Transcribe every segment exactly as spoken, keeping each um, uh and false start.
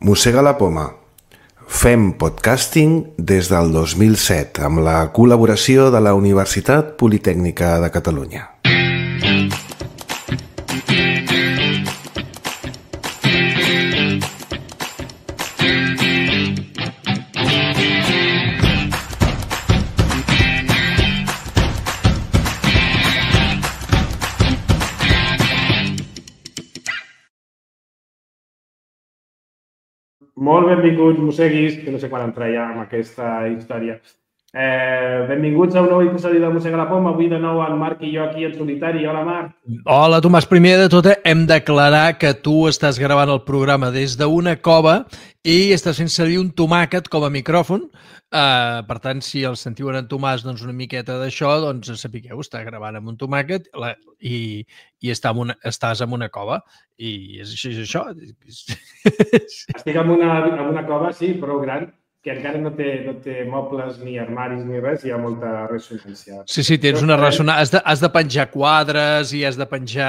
Mossega la poma. Fem podcasting des del dos mil set amb la col·laboració de la Universitat Politècnica de Catalunya. Molt benvinguts, mosseguis, que no sé quan entrar ja amb aquesta història. Eh, benvinguts a un nou episodi de Mossega la Poma. Avui de nou el Marc i jo aquí en solitari. Hola, Marc. Hola, Tomàs. Primer de tot, hem d'aclarar que tu estàs gravant el programa des d'una cova i estàs fent servir un tomàquet com a micròfon. Uh, per tant, si el sentiu en Tomàs doncs, una miqueta d'això, doncs sapigueu, està gravant amb un tomàquet la, i, i està en una, estàs en una cova. I és això. És això. Estic en una, en una cova, sí, prou gran, que encara no té, no té mobles ni armaris ni res, hi ha molta ressonància. Sí, sí, tens una ressonància. Has de, has de penjar quadres i has de penjar,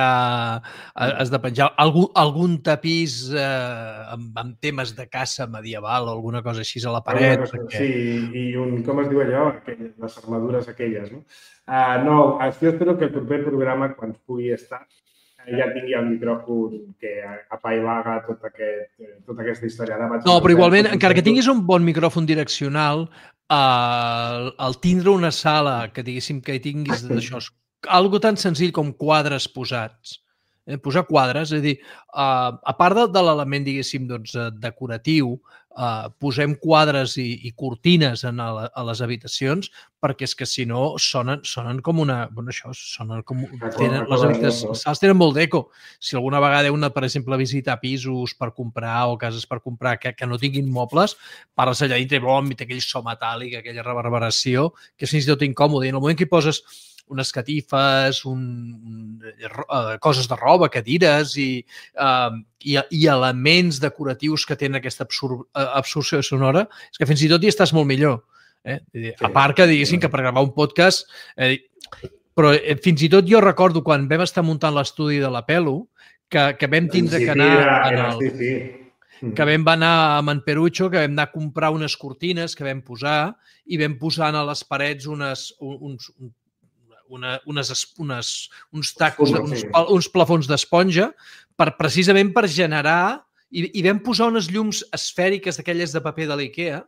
has de penjar algun, algun tapís eh, amb, amb temes de caça medieval o alguna cosa així a la paret. Cosa, perquè... Sí, i un, com es diu allò? Aquelles, les armadures aquelles, no? Uh, no, jo espero que el proper programa, quan pugui estar, ja tingui el micròfon que apaivaga tot aquest, tota aquesta història. No, però igualment, encara que tinguis un bon micròfon direccional, eh, el tindre una sala que diguéssim que hi tinguis d'això, algo tan senzill com quadres posats, eh, posar quadres, és a dir, eh, a part de, de l'element, diguéssim, doncs, decoratiu, eh, posem quadres i, i cortines en a, la, a les habitacions, perquè és que si no sonen, sonen com una... Bueno, això, sonen com... Tenen, les habitacions sals tenen molt d'eco. Si alguna vegada heu anat, per exemple, a visitar pisos per comprar o cases per comprar que, que no tinguin mobles, parles allà dintre, bom, i té aquell so metàl·lic, aquella reverberació, que és fins i tot incòmode. I en el moment que hi poses unes catifes, un, un, uh, coses de roba, cadires i, uh, i, i elements decoratius que tenen aquesta absor absorció sonora, és que fins i tot hi estàs molt millor. Eh? A part que diguéssim que per gravar un podcast... Eh, però eh, fins i tot jo recordo quan vam estar muntant l'estudi de la Pelo, que, que vam tindre que anar... En el, sí, sí. que vam anar amb en Perucho, que vam anar a comprar unes cortines que vam posar i vam posar a les parets unes, uns, una, unes, unes, uns tacos, uns, uns plafons d'esponja per, precisament per generar... I, I vam posar unes llums esfèriques d'aquelles de paper de l'IKEA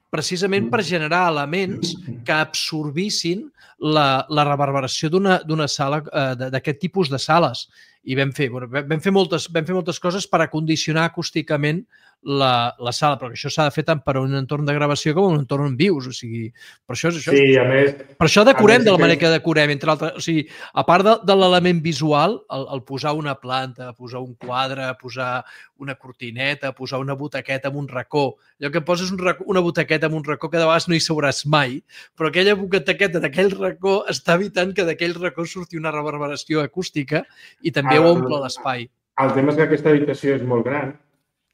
precisament per generar elements que absorbissin la, la reverberació d'una sala, eh, d'aquest tipus de sales. I vam fer, bueno, vam fer, moltes, vam fer moltes coses per acondicionar acústicament la, la sala, però això s'ha de fer tant per un entorn de gravació com un entorn vius, o sigui, per això és això. Sí, a més... Per això decorem de la manera que decorem, entre altres, o sigui, a part de, de l'element visual, el, el posar una planta, posar un quadre, posar una cortineta, posar una butaqueta en un racó, allò que poses un racó, una butaqueta en un racó que de vegades no hi seuràs mai, però aquella butaqueta d'aquell racó està evitant que d'aquell racó surti una reverberació acústica i també ho omple l'espai. El tema és que aquesta habitació és molt gran,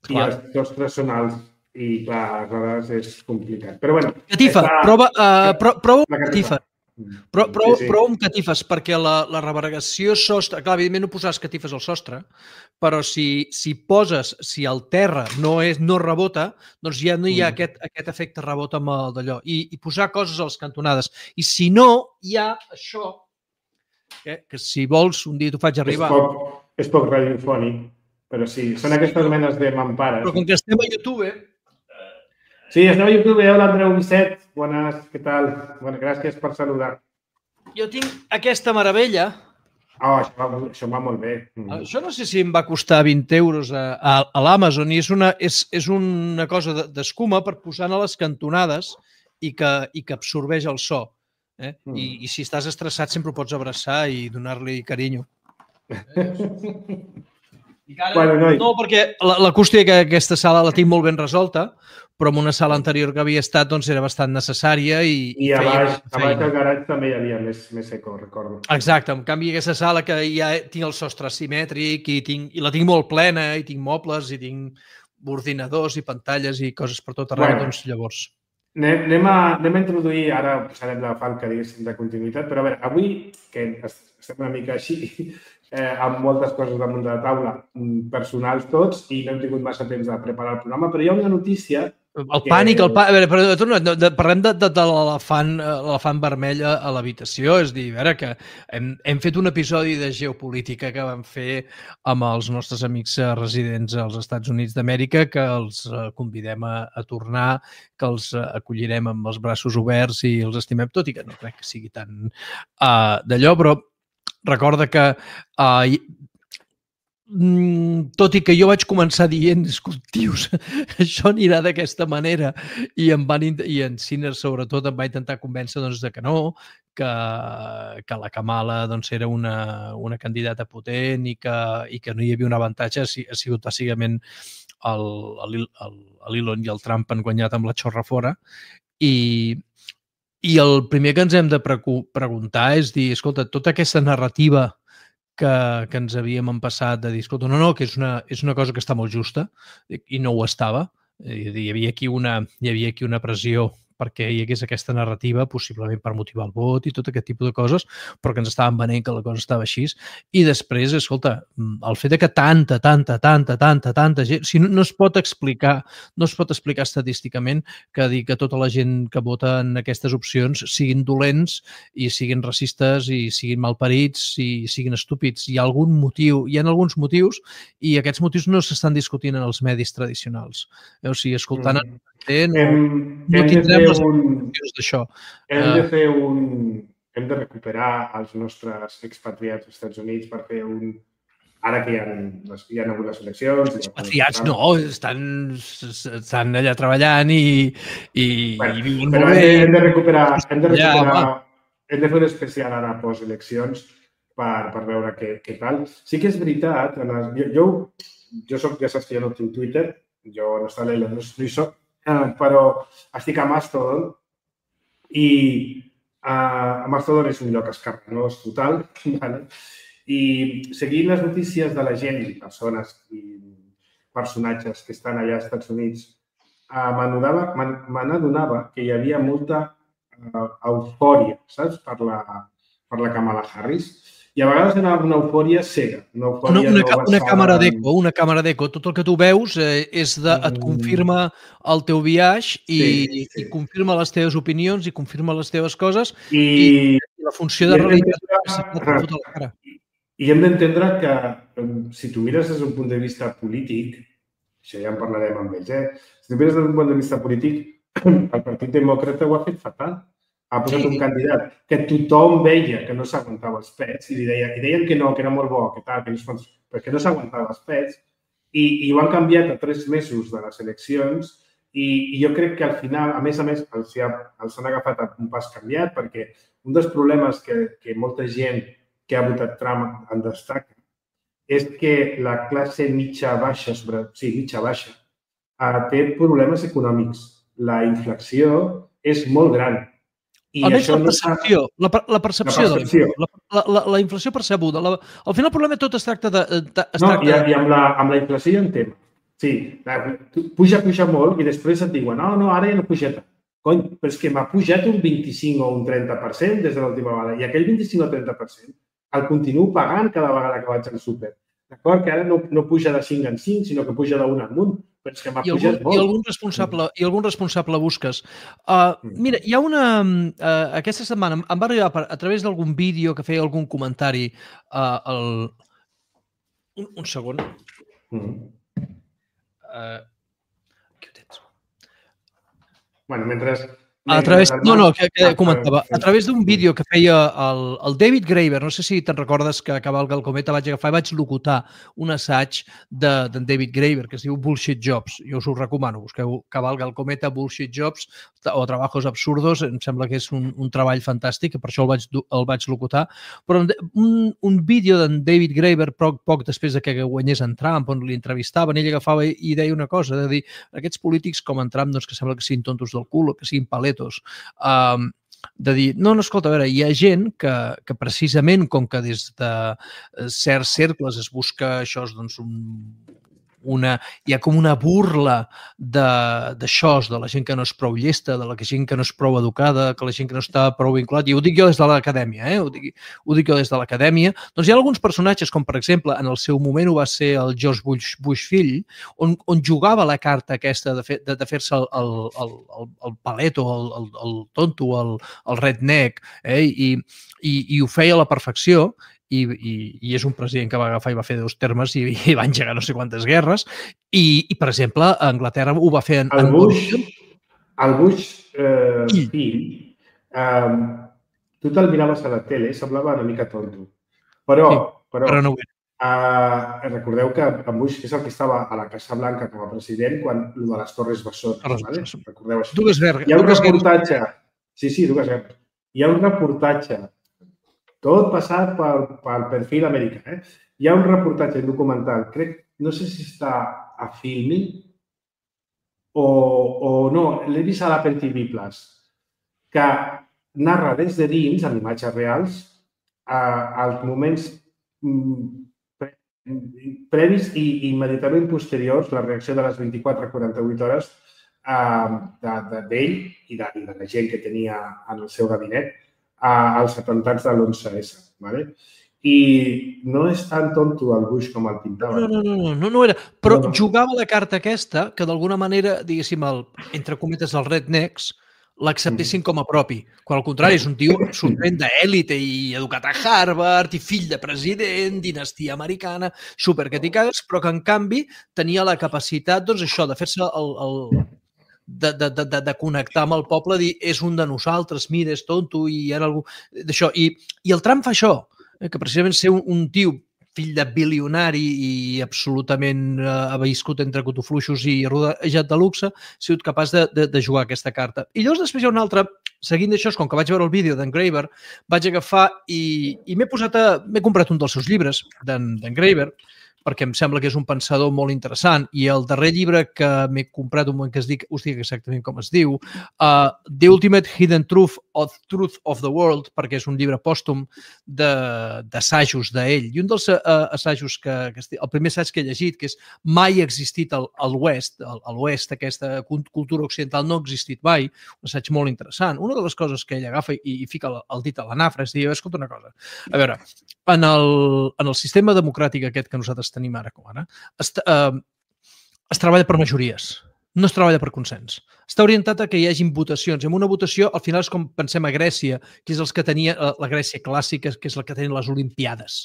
clar, i els sostres són alts i, clar, a vegades és complicat. Però, bueno... Catifa, està... prova, uh, pro, prova amb catifa. Pro, prova, sí, sí. prova amb catifes, perquè la, la reverberació sostre... Clar, evidentment no posaràs catifes al sostre, però si, si poses, si el terra no, és, no rebota, doncs ja no hi ha mm. aquest, aquest efecte rebot amb el d'allò. I, I posar coses a les cantonades. I si no, hi ha això, eh, que si vols, un dia t'ho faig arribar... És poc, és poc radiofònic. Però sí, són aquestes menes de mampares. Però com que estem a YouTube... Sí, estem a YouTube. Hola, Andreu Vicet. Bones, què tal? Bueno, gràcies per saludar. Jo tinc aquesta meravella. Oh, això, va, això va molt bé. Mm. Això no sé si em va costar vint euros a, a, a l'Amazon i és una, és, és una cosa d'escuma per posar a les cantonades i que, i que absorbeix el so. Eh? Mm. I, I si estàs estressat sempre ho pots abraçar i donar-li carinyo. Eh? Ara, bueno, no, no, perquè l'acústica d'aquesta sala la tinc molt ben resolta, però en una sala anterior que havia estat doncs era bastant necessària i, i, i a baix, a baix del garatge també hi havia més, més eco, recordo. Exacte, en canvi aquesta sala que ja tinc el sostre asimètric i, tinc, i la tinc molt plena, i tinc mobles, i tinc ordinadors i pantalles i coses per tot arreu, bueno, doncs llavors... Anem, anem, a, anem a introduir, ara posarem la falca, diguéssim, de continuïtat, però a veure, avui, que estem una mica així, eh, amb moltes coses damunt de la taula, personals tots, i no hem tingut massa temps de preparar el programa, però hi ha una notícia... El pànic, el pànic... A veure, però no, de, de, parlem de, de, de l'elefant l'elefant vermell a, a l'habitació, és dir, a veure, que hem, hem fet un episodi de geopolítica que vam fer amb els nostres amics residents als Estats Units d'Amèrica, que els convidem a, a tornar, que els acollirem amb els braços oberts i els estimem, tot i que no crec que sigui tan uh, d'allò, però recorda que uh, tot i que jo vaig començar dient, escoltius, això anirà d'aquesta manera, i em van i en Sinner sobretot em va intentar convèncer doncs, de que no, que, que la Kamala doncs, era una, una candidata potent i que, i que no hi havia un avantatge, ha sigut bàsicament l'Elon i el Trump han guanyat amb la xorra fora, i, i el primer que ens hem de preguntar és dir, escolta, tota aquesta narrativa que, que ens havíem empassat de dir, escolta, no, no, que és una, és una cosa que està molt justa, i no ho estava. Hi havia aquí una, hi havia aquí una pressió perquè hi hagués aquesta narrativa, possiblement per motivar el vot i tot aquest tipus de coses, però que ens estaven venent que la cosa estava així. I després, escolta, el fet que tanta, tanta, tanta, tanta, tanta gent... Si no, no es pot explicar, no es pot explicar estadísticament que dir que tota la gent que vota en aquestes opcions siguin dolents i siguin racistes i siguin malparits i siguin estúpids. Hi ha algun motiu, hi ha alguns motius i aquests motius no s'estan discutint en els medis tradicionals. O sigui, escoltant... Mm. No, hem, no tindrem les un, d'això. Hem de fer un... Hem de recuperar els nostres expatriats als Estats Units per fer un... Ara que hi ha, hi ha hagut les eleccions... Els expatriats no, estan, estan allà treballant i, i, bueno, i viuen molt bé. Hem de recuperar... Hem de, recuperar, ja, hem de fer un especial ara post-eleccions per, per veure què, què tal. Sí que és veritat, jo, jo, jo soc, ja saps que jo no tinc Twitter, jo no està l'Elon, no hi soc, Uh, però estic a Mastodon i uh, Mastodon és un lloc escarranós total, vale? I seguint les notícies de la gent, persones i personatges que estan allà als Estats Units, uh, me n'adonava que hi havia molta uh, eufòria, saps, per la, per la Kamala Harris. I a vegades hi ha una eufòria cega. Una, eufòria una, una, no una càmera d'eco, una càmera d'eco. Tot el que tu veus eh, és de, et confirma el teu viatge i, sí, sí. i confirma les teves opinions i confirma les teves coses i, i la funció de realitat que s'ha de fotre la cara. I hem d'entendre que si tu mires des d'un punt de vista polític, això ja en parlarem amb ells, eh? Si tu mires des d'un punt de vista polític, el Partit Demòcrata ho ha fet fatal. Ha posat sí. un candidat que tothom veia que no s'aguantava els pets i li deia, i deien que no, que era molt bo, que tal, que no, perquè no s'aguantava els pets i, i ho han canviat a tres mesos de les eleccions i, i jo crec que al final, a més a més, els, ha, els han agafat un pas canviat perquè un dels problemes que, que molta gent que ha votat Trump en destaca és que la classe mitja-baixa, sí, mitja-baixa, té problemes econòmics. La inflació és molt gran. I almenys la percepció, no... la, la percepció, la, percepció. De la, la, la inflació percebuda. La, al final el problema tot es tracta de... de es no, tracta i, i amb, la, amb la inflació hi ha un tema. Sí, puja, puja molt i després et diuen no, no, ara ja no puja tant. Cony, però és que m'ha pujat un vint-i-cinc o un trenta per cent des de l'última vegada i aquell vint-i-cinc o trenta per cent el continuo pagant cada vegada que vaig al súper. D'acord? Que ara no, no puja de cinc en cinc, sinó que puja d'un en un. Però és que m'ha pujat algun, molt. I algun responsable, i algun responsable busques. Uh, mira, hi ha una... Uh, aquesta setmana em va arribar per, a través d'algun vídeo que feia algun comentari uh, el... Un, un segon. Mm. Uh, aquí ho tens. Bueno, mentre... A través, no, no, que, que comentava, a través d'un vídeo que feia el, el David Graeber, no sé si te'n recordes que a Cavalga el Cometa vaig agafar i vaig locutar un assaig d'en de, David Graeber que es diu Bullshit Jobs. Jo us ho recomano, busqueu Cavalga el Cometa, Bullshit Jobs o Trabajos Absurdos, em sembla que és un, un treball fantàstic, per això el vaig, el vaig locutar. Però un, un vídeo d'en David Graeber poc, poc després de que guanyés en Trump, on li entrevistaven, ell agafava i deia una cosa, de dir, aquests polítics com en Trump, doncs que sembla que siguin tontos del cul o que siguin paletos, Um, de dir, no, no, escolta, a veure, hi ha gent que, que precisament com que des de certs cercles es busca això, doncs, un, una, hi ha com una burla d'això, de, de la gent que no és prou llesta, de la gent que no és prou educada, que la gent que no està prou vinculat, i ho dic jo des de l'acadèmia, eh? ho, dic, ho dic jo des de l'acadèmia. Doncs hi ha alguns personatges, com per exemple, en el seu moment ho va ser el George Bush, Bush fill, on, on jugava la carta aquesta de, fer, de, de fer-se el, el, el, el, el paleto, el, el, el tonto, el, el redneck, eh? I, i, i ho feia a la perfecció. I, i, i és un president que va agafar i va fer dos termes i, i va engegar no sé quantes guerres i, i per exemple, a Anglaterra ho va fer en... El Bush, el Bush eh, fill, eh, tu te'l miraves a la tele, semblava una mica tonto. Però, sí, però, però no eh, recordeu que en Bush és el que estava a la Casa Blanca com a president quan el de les Torres Bessones, vale? Recordeu això? Dues vergues. Hi ha un reportatge... Sí, sí, dues vergues. Hi ha un reportatge tot passat pel, pel perfil americà. Eh? Hi ha un reportatge documental, crec, no sé si està a Filmin o, o no, l'he vist a l'Apple T V Plus, que narra des de dins, amb imatges reals, als moments previs i immediatament posteriors, la reacció de les vint-i-quatre a quaranta-vuit hores d'ell i de la gent que tenia en el seu gabinet als atemptats de l'onze essa. Vale? I no és tan tonto el Bush com el pintava. No, no, no, no, no era. Però no, no. Jugava la carta aquesta que d'alguna manera, diguéssim, el, entre cometes, els rednecks, l'acceptessin com a propi. Quan al contrari és un tio absolutament d'èlite i educat a Harvard i fill de president, dinastia americana, super que t'hi cagues, però que en canvi tenia la capacitat, doncs això, de fer-se el... el De, de, de, de connectar amb el poble, dir és un de nosaltres, mira, és tonto i era algú d'això. I, I el Trump fa això, eh, que precisament ser un, un tio fill de bilionari i absolutament eh, ha viscut entre cotofluixos i rodejat de luxe, ha sigut capaç de, de, de jugar aquesta carta. I llavors després hi ha una altra, seguint d'això, com que vaig veure el vídeo d'en Graeber, vaig agafar i, i m'he posat a... m'he comprat un dels seus llibres, d'en Graeber, perquè em sembla que és un pensador molt interessant, i el darrer llibre que m'he comprat, un moment que es dic, us dic exactament com es diu, uh, The Ultimate Hidden Truth of, Truth of the World, perquè és un llibre pòstum d'assajos d'ell, i un dels uh, assajos que, que el primer assaig que he llegit, que és mai ha existit a l'oest, a l'oest aquesta cultura occidental no ha existit mai, un assaig molt interessant. Una de les coses que ell agafa i, i fica el, el dit a la nafra és dir, escolta una cosa, a veure, en el, en el sistema democràtic aquest que nosaltres tenim ara com ara, es, eh, es treballa per majories, no es treballa per consens. Està orientat a que hi hagi votacions. I amb una votació, al final és com pensem a Grècia, que és els que tenia la Grècia clàssica, que és la que tenen les Olimpiades.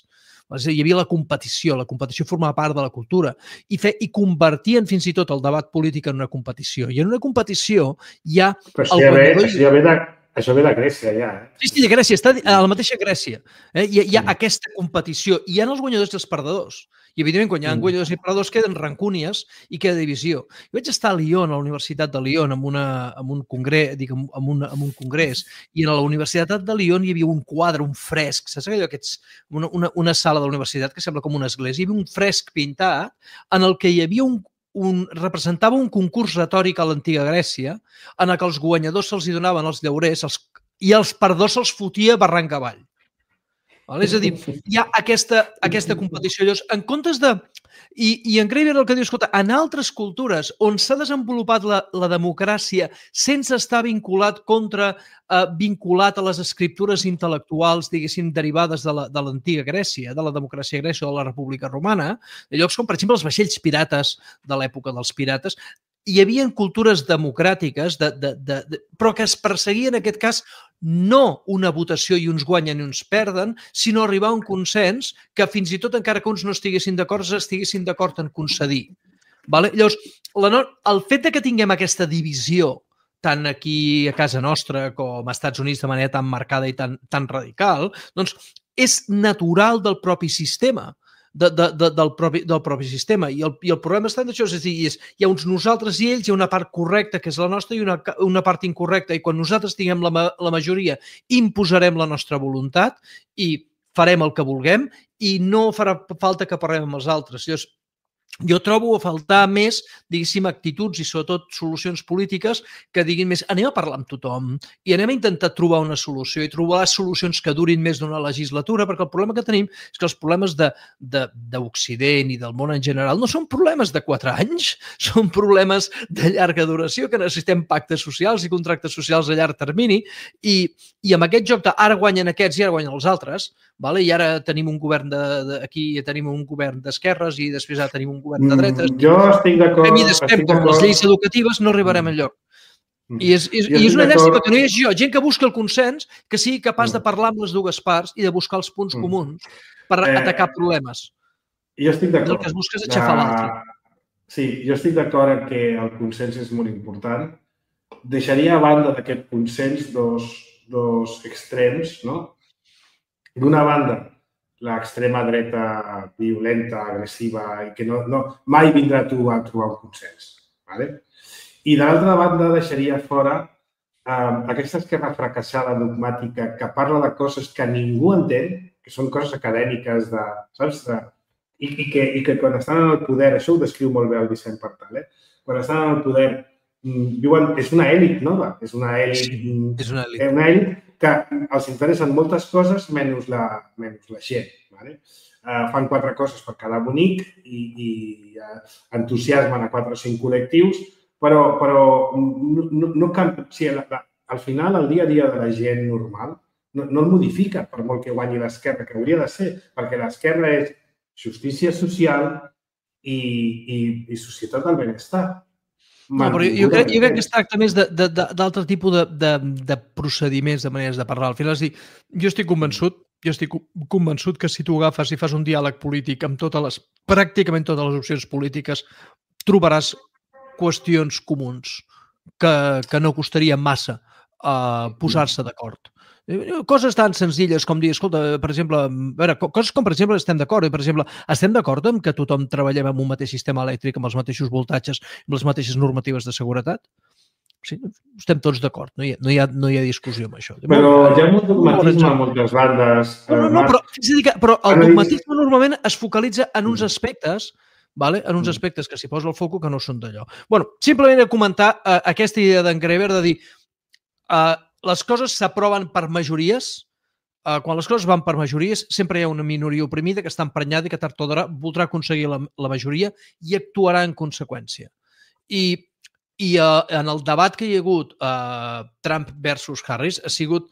Hi havia la competició, la competició formava part de la cultura i, fe, i convertien fins i tot el debat polític en una competició. I en una competició hi ha... Però això ja ve, això ja ve de... Això ve de Grècia, ja. Eh? Sí, sí, de Grècia. Està a la mateixa Grècia. Eh? Hi, ha, hi ha aquesta competició. I hi ha els guanyadors i els perdedors. I, evidentment, quan hi ha guanyadors i perdedors, queden rancúnies i queda divisió. Jo vaig estar a Lyon, a la Universitat de Lyon, amb, una, amb, un, congrés, dic, amb, un, amb un congrés, i a la Universitat de Lyon hi havia un quadre, un fresc, saps allò aquests, una, una, una sala de la universitat que sembla com una església, hi havia un fresc pintat en el que hi havia un Un, representava un concurs retòric a l'antiga Grècia en el que els guanyadors se'ls donaven els llaurers els, i els perdedors se'ls fotia barranc avall. Val? És a dir, hi ha aquesta, aquesta competició. Llavors, en comptes de... I, i en Graeber el que diu, escolta, en altres cultures on s'ha desenvolupat la, la democràcia sense estar vinculat contra, eh, vinculat a les escriptures intel·lectuals, diguéssim, derivades de l'antiga la, Grècia, de la democràcia grècia o de la República Romana, de llocs com, per exemple, els vaixells pirates de l'època dels pirates, hi havia cultures democràtiques, de, de, de, de, però que es perseguien, en aquest cas, no una votació i uns guanyen i uns perden, sinó arribar a un consens que fins i tot, encara que uns no estiguessin d'acord, estiguessin d'acord en concedir. Vale? Llavors, la, el fet de que tinguem aquesta divisió tant aquí a casa nostra com als Estats Units de manera tan marcada i tan, tan radical, doncs és natural del propi sistema. De, de, de, del, propi, del propi sistema. I el, i el problema està en això, és a dir, és, hi ha uns nosaltres i ells, hi ha una part correcta que és la nostra i una, una part incorrecta, i quan nosaltres tinguem la, la majoria imposarem la nostra voluntat i farem el que vulguem i no farà falta que parlem amb els altres. Llavors, jo trobo a faltar més, diguéssim, actituds i sobretot solucions polítiques que diguin més, anem a parlar amb tothom i anem a intentar trobar una solució i trobar solucions que durin més d'una legislatura, perquè el problema que tenim és que els problemes d'Occident i del món en general no són problemes de quatre anys, són problemes de llarga duració, que necessitem pactes socials i contractes socials a llarg termini i, i amb aquest joc de ara guanyen aquests i ara guanyen els altres, vale? I ara tenim un govern de, de, aquí tenim un govern d'esquerres i després ara tenim un govern de dretes. Mm, jo estic d'acord. I després, com les lleis educatives, no arribarem enlloc. I és, és, i és una llàstima que no hi hagi jo, gent que busca el consens, que sigui capaç de parlar amb les dues parts i de buscar els punts comuns per eh, atacar problemes. Jo estic d'acord. El que es busca és aixafar de... l'altre. Sí, jo estic d'acord en que el consens és molt important. Deixaria a banda d'aquest consens dos, dos extrems, no? D'una banda, l'extrema dreta violenta, agressiva i que no, no, mai vindrà a tu a trobar un consens. ¿Vale? I de l'altra banda deixaria fora eh, aquesta esquerra fracassada, dogmàtica, que parla de coses que ningú entén, que són coses acadèmiques, de, saps? De, i, i, que, i que quan estan en el poder, això ho descriu molt bé el Vicent Partal, eh? Quan estan en el poder, diuen, és una èlit nova, és una èlit, sí, és una èlit. Una èlit que els interessen moltes coses menys la, menys la gent. ¿Vale? Uh, fan quatre coses per quedar bonic i, i uh, entusiasmen a quatre o cinc col·lectius, però, però no, no, no canvia. O sigui, la, la, al final, el dia a dia de la gent normal no, no el modifica per molt que guanyi l'esquerra, que hauria de ser, perquè l'esquerra és justícia social i, i, i societat del benestar. No, però jo crec, jo crec que es tracta més d'altre tipus de, de, de procediments, de maneres de parlar. Al final, és dir, jo estic convençut, jo estic convençut que si tu agafes i fas un diàleg polític amb totes les, pràcticament totes les opcions polítiques, trobaràs qüestions comuns que, que no costaria massa uh, posar-se d'acord. Coses tan senzilles com dir, escolta, per exemple, a veure, coses com, per exemple, estem d'acord. Per exemple, estem d'acord amb que tothom treballem amb un mateix sistema elèctric, amb els mateixos voltatges, amb les mateixes normatives de seguretat? Sí, estem tots d'acord, no, no, hi ha, no hi ha discussió amb això. Però hi ha molt dogmatisme a moltes bandes. No, no, no, però, és a dir que, però el dogmatisme normalment es focalitza en uns aspectes, vale? En uns aspectes que s'hi posa el foco que no són d'allò. Bueno, simplement a comentar uh, aquesta idea d'en Greber de dir uh, les coses s'aproven per majories, uh, quan les coses van per majories sempre hi ha una minoria oprimida que està emprenyada i que tard o d'hora voldrà aconseguir la, la majoria i actuarà en conseqüència. I I uh, en el debat que hi ha hagut uh, Trump versus Harris ha sigut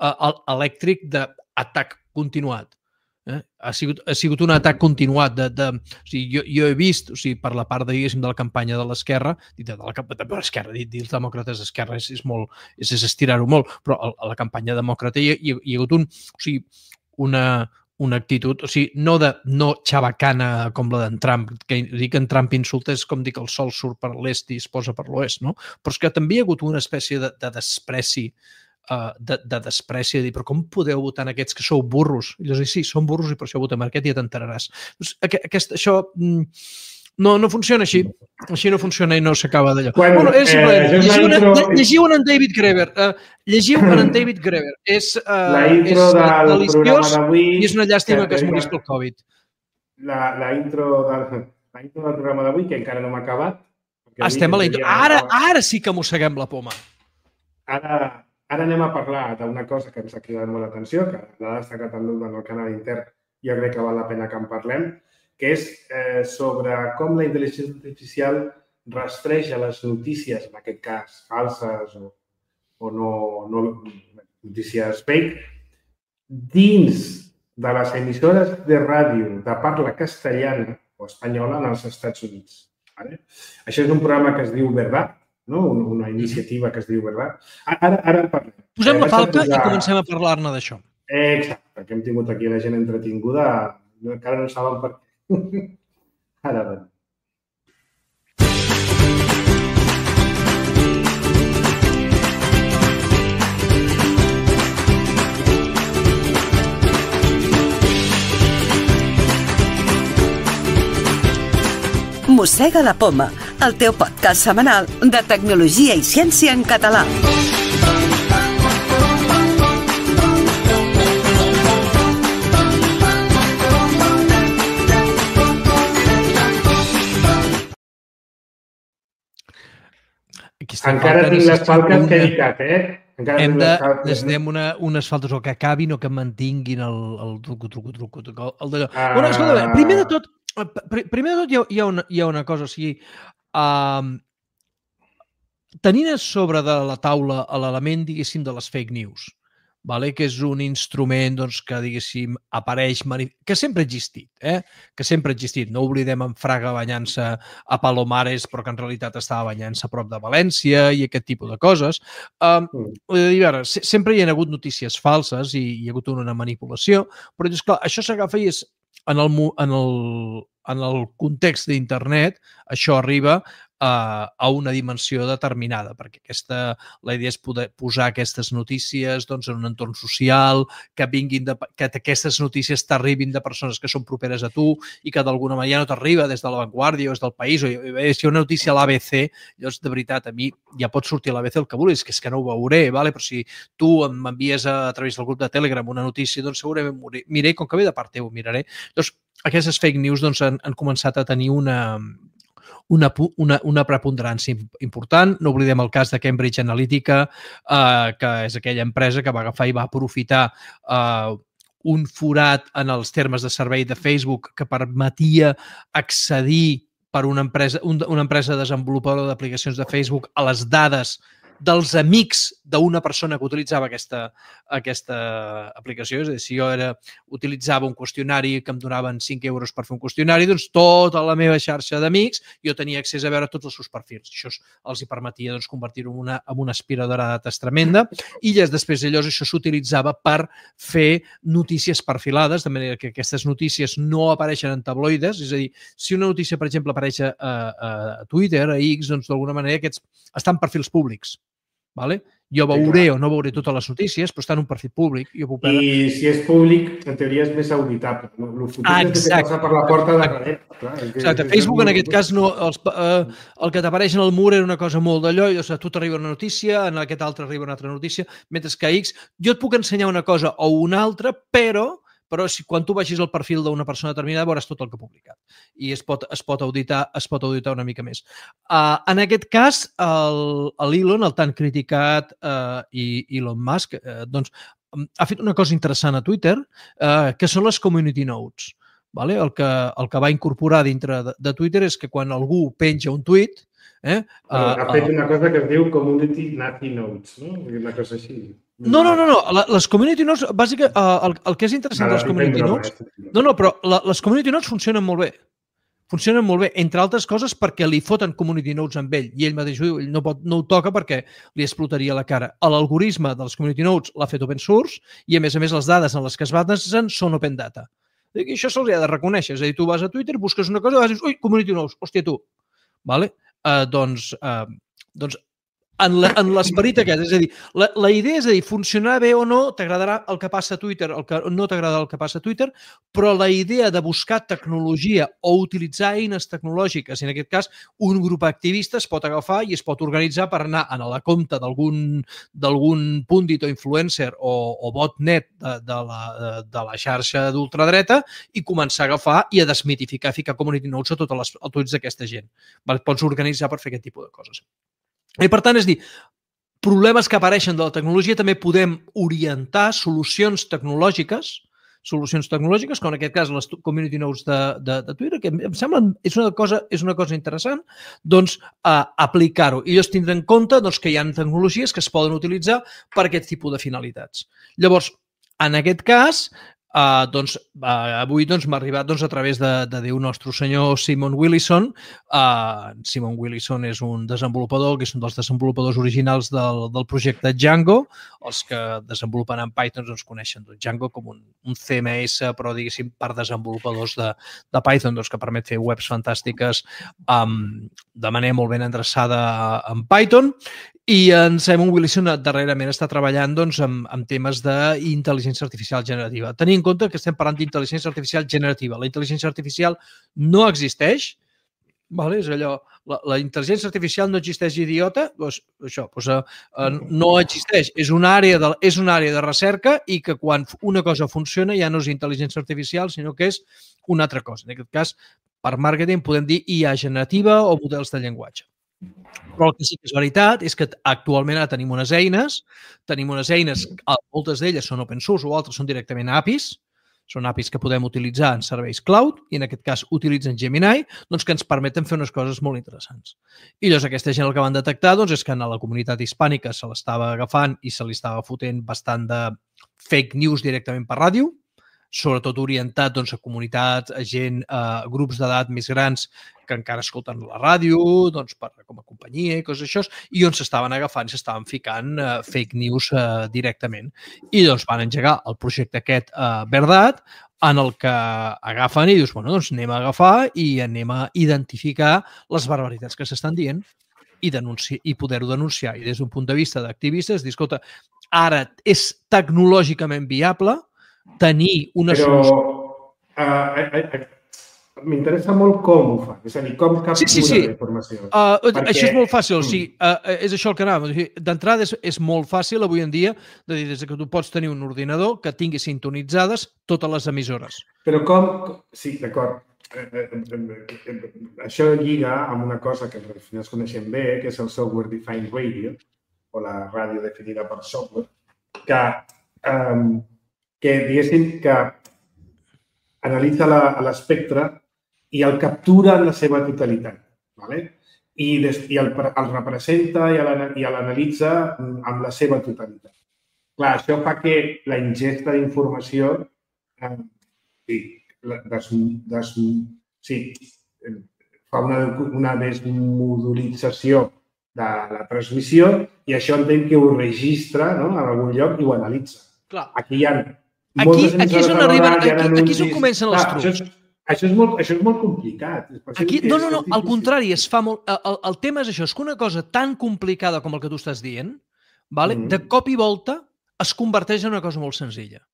uh, elèctric d'atac continuat. Eh? Ha, sigut, ha sigut un atac continuat. De, de, o sigui, jo, jo he vist, o sigui, per la part de, de la campanya de l'esquerra, de, de, la, de l'esquerra, dir els demòcrates d'esquerra és, és, molt, és, és estirar-ho molt, però a, a la campanya demòcrata hi, hi, hi ha hagut un, o sigui, una... una actitud, o sigui, no de no xabacana com la d'en Trump, que dir que en Trump insulta és com dir que el sol surt per l'est i es posa per l'oest, no? Però és que també hi ha hagut una espècie de, de despreci, uh, de, de despreci, de dir, però com podeu votar en aquests que sou burros? I llavors, sí, són burros i per això votem aquest i ja t'enteraràs. Doncs, aquest, això no, no funciona així. Així no funciona i no s'acaba d'allò. Bueno, bueno, és simplement, eh, llegiu, intro... en, llegiu en David Graeber. Uh, llegiu en David Graeber. És, uh, la intro és del programa d'avui... I és una llàstima que, que es morís pel Covid. La, la, intro del, la intro del programa d'avui, que encara no m'ha acabat. Estem a la intro. Ara, ara sí que mosseguem la poma. Ara, ara anem a parlar d'una cosa que ens ha cridat molt l'atenció, que l'ha destacat en el canal intern. Jo crec que val la pena que en parlem, que és eh, sobre com la intel·ligència artificial rastreja les notícies, en aquest cas falses o, o no, no notícies fake, dins de les emissores de ràdio de parla castellana o espanyola en els Estats Units. ¿Vale? Això és un programa que es diu Verdad, no? Una iniciativa que es diu Verdad. Ara, ara en parlem. Posem la falca i comencem a parlar-ne d'això. Exacte, perquè hem tingut aquí la gent entretinguda, encara no saben per què. Ara va. Mossega la poma, el teu podcast setmanal de tecnologia i ciència en català. Encara tinc les falques que he dedicat, eh? Encara hem de, necessitem una, unes faltes o que acabin o que mantinguin el, el truco, truco, truco, truco el d'allò. Uh... Bueno, escolta, primer de tot, primer de tot hi ha, hi ha, una, hi ha una cosa, o sigui, uh, tenint a sobre de la taula l'element, diguéssim, de les fake news, vale? Que és un instrument doncs, que, diguéssim, apareix, que sempre ha existit, eh? que sempre ha existit. No oblidem en Fraga banyant-se a Palomares, però que en realitat estava banyant-se a prop de València i aquest tipus de coses. Um, mm. veure, sempre hi ha hagut notícies falses i hi ha hagut una manipulació, però és clar, això s'agafa i és en el, en el, en el context d'internet, això arriba a, a una dimensió determinada, perquè aquesta, la idea és poder posar aquestes notícies doncs, en un entorn social, que vinguin de, que aquestes notícies t'arribin de persones que són properes a tu i que d'alguna manera no t'arriba des de La Vanguardia o des del País, o si hi ha una notícia a l'A B C, llavors, de veritat, a mi ja pot sortir a l'A B C el que vulguis, que és que no ho veuré, vale? Però si tu m'envies a, a través del grup de Telegram una notícia, doncs segurament miraré, com que ve de part teu, miraré. Doncs aquestes fake news doncs, han, han començat a tenir una... Una, una, una preponderància important. No oblidem el cas de Cambridge Analytica, eh, que és aquella empresa que va agafar i va aprofitar eh, un forat en els termes de servei de Facebook que permetia accedir per una empresa, una empresa desenvolupadora d'aplicacions de Facebook a les dades dels amics d'una persona que utilitzava aquesta, aquesta aplicació. És a dir, si jo era, utilitzava un qüestionari que em donaven cinc euros per fer un qüestionari, doncs tota la meva xarxa d'amics jo tenia accés a veure tots els seus perfils. Això els hi permetia doncs, convertir-ho en una, en una aspiradora de dades tremenda i després llavors això s'utilitzava per fer notícies perfilades, de manera que aquestes notícies no apareixen en tabloides. És a dir, si una notícia, per exemple, apareix a, a, a Twitter, a X, doncs d'alguna manera aquests estan en perfils públics. Vale? Jo veuré o no veuré totes les notícies, però està en un perfil públic. Jo puc veure... I si és públic, en teoria és més auditable. No? El futur ah, és que passa per la porta de darrere. Exacte. Facebook, en aquest cas, no, els, eh, el que t'apareix en el mur era una cosa molt d'allò, i o sigui, tu t'arriba una notícia, en aquest altre arriba una altra notícia, mentre que a X jo et puc ensenyar una cosa o una altra, però... però si quan tu vagis al perfil d'una persona determinada veuràs tot el que ha publicat i es pot, es pot, auditar, es pot auditar una mica més. Uh, en aquest cas, l'Elon, el, el tan criticat uh, i Elon Musk, uh, doncs, ha fet una cosa interessant a Twitter, uh, que són les community notes. Vale? El, que, el que va incorporar dintre de, de Twitter és que quan algú penja un tuit... Eh, uh, ha fet una cosa que es diu Community Nazi Notes, no? Una cosa així. No, no, no, no. Les community notes, bàsicament, el, el que és interessant dels community notes... No, no, però les community notes funcionen molt bé. Funcionen molt bé, entre altres coses perquè li foten community notes amb ell i ell mateix ell no, pot, no ho toca perquè li explotaria la cara. L'algoritme dels community notes l'ha fet open source i, a més a més, les dades en les que es basen són open data. I això se'ls ha de reconèixer. És a dir, tu vas a Twitter, busques una cosa i vas dir, ui, community notes, hòstia, tu. Vale? Uh, doncs, uh, doncs en l'esperit aquest. És a dir, la, la idea és a dir, funcionarà bé o no, t'agradarà el que passa a Twitter, el que no t'agrada el que passa a Twitter, però la idea de buscar tecnologia o utilitzar eines tecnològiques, en aquest cas, un grup activista es pot agafar i es pot organitzar per anar a la compte d'algun d'algun púndit o influencer o, o botnet de, de, la, de la xarxa d'ultradreta i començar a agafar i a desmitificar, ficar community notes a tots els tuits d'aquesta gent. Pots organitzar per fer aquest tipus de coses. I, per tant, és dir, problemes que apareixen de la tecnologia també podem orientar solucions tecnològiques, solucions tecnològiques, com en aquest cas les community notes de, de, de Twitter, que em sembla és una cosa, és una cosa interessant, doncs eh, aplicar-ho. I llavors tindre en compte doncs, que hi ha tecnologies que es poden utilitzar per aquest tipus de finalitats. Llavors, en aquest cas, Uh, doncs, uh, avui doncs, m'ha arribat doncs, a través de, de Déu nostre senyor Simon Willison. Uh, Simon Willison és un desenvolupador, que és un dels desenvolupadors originals del, del projecte Django. Els que desenvolupen en Python doncs, coneixen doncs, Django com un, un C M S, però diguéssim per desenvolupadors de, de Python, doncs, que permet fer webs fantàstiques um, de manera molt ben endreçada en Python. I en Simon Willison darrerament està treballant doncs, amb, amb temes d'intel·ligència artificial generativa. Tenint en compte que estem parlant d'intel·ligència artificial generativa. La intel·ligència artificial no existeix, vale? És allò, la, la intel·ligència artificial no existeix, idiota, doncs, això, doncs, eh, no existeix. És una, àrea de, és una àrea de recerca i que quan una cosa funciona ja no és intel·ligència artificial, sinó que és una altra cosa. En aquest cas, per màrqueting podem dir I A generativa o models de llenguatge. Però el que sí que és veritat és que actualment ara tenim unes eines, tenim unes eines, moltes d'elles són open source o altres són directament A P Is, són A P Is que podem utilitzar en serveis cloud i en aquest cas utilitzen Gemini, doncs que ens permeten fer unes coses molt interessants. I llavors aquesta gent el que van detectar doncs, és que a la comunitat hispànica se l'estava agafant i se li estava fotent bastant de fake news directament per ràdio, sobretot orientat doncs, a comunitats, a gent, a grups d'edat més grans que encara escolten la ràdio, doncs, per, com a companyia i coses això, i on s'estaven agafant i s'estaven ficant uh, fake news uh, directament. I doncs van engegar el projecte aquest uh, Verdat, en el que agafen i dius, bueno, doncs anem a agafar i anem a identificar les barbaritats que s'estan dient i, denunci- i poder-ho denunciar. I des d'un punt de vista d'activistes, dir, escolta, ara és tecnològicament viable tenir una Però, solució. Uh, uh, uh, m'interessa molt com ho fa, és a dir, com captura sí, sí, sí. la informació. Uh, Perquè... Això és molt fàcil, o sigui, uh, és això el que anàvem. D'entrada és, és molt fàcil avui en dia de dir des que tu pots tenir un ordinador que tingui sintonitzades totes les emissores. Però com... Sí, d'acord. Eh, eh, eh, això lliga amb una cosa que ens coneixem bé, que és el Software Defined Radio, o la ràdio definida per software, que, um, que diguéssim que analitza l'espectre i el captura en la seva totalitat. ¿vale? I, des, i el, el representa i l'analitza amb la seva totalitat. Clar, això fa que la ingesta d'informació eh, sí, des, des, sí, fa una, una desmodulització de la transmissió i això entenc que ho registra, no?, en algun lloc i ho analitza. Clar. Aquí hi ha Aquí, aquí és on arriben, aquí, aquí és on comencen els Clar, trucs. Això és, això, és molt, això és molt complicat. Aquí, no, no, no, al contrari, es fa molt, el, el tema és això, és que una cosa tan complicada com el que tu estàs dient, vale, mm. de cop i volta es converteix en una cosa molt senzilla.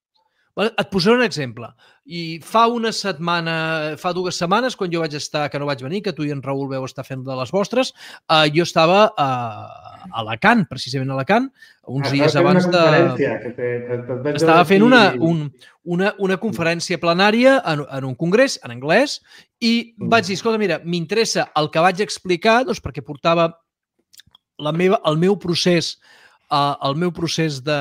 Vale? Et posaré un exemple. I fa una setmana, fa dues setmanes, quan jo vaig estar, que no vaig venir, que tu i en Raül veu estar fent de les vostres, eh, jo estava a, a Alacant, precisament a Alacant, uns ah, dies abans de... Que te, te, te estava fent una, un, una, una conferència plenària en, en un congrés, en anglès, i mm. vaig dir, escolta, mira, m'interessa el que vaig explicar, doncs perquè portava la meva, el meu procés Uh, el meu procés de,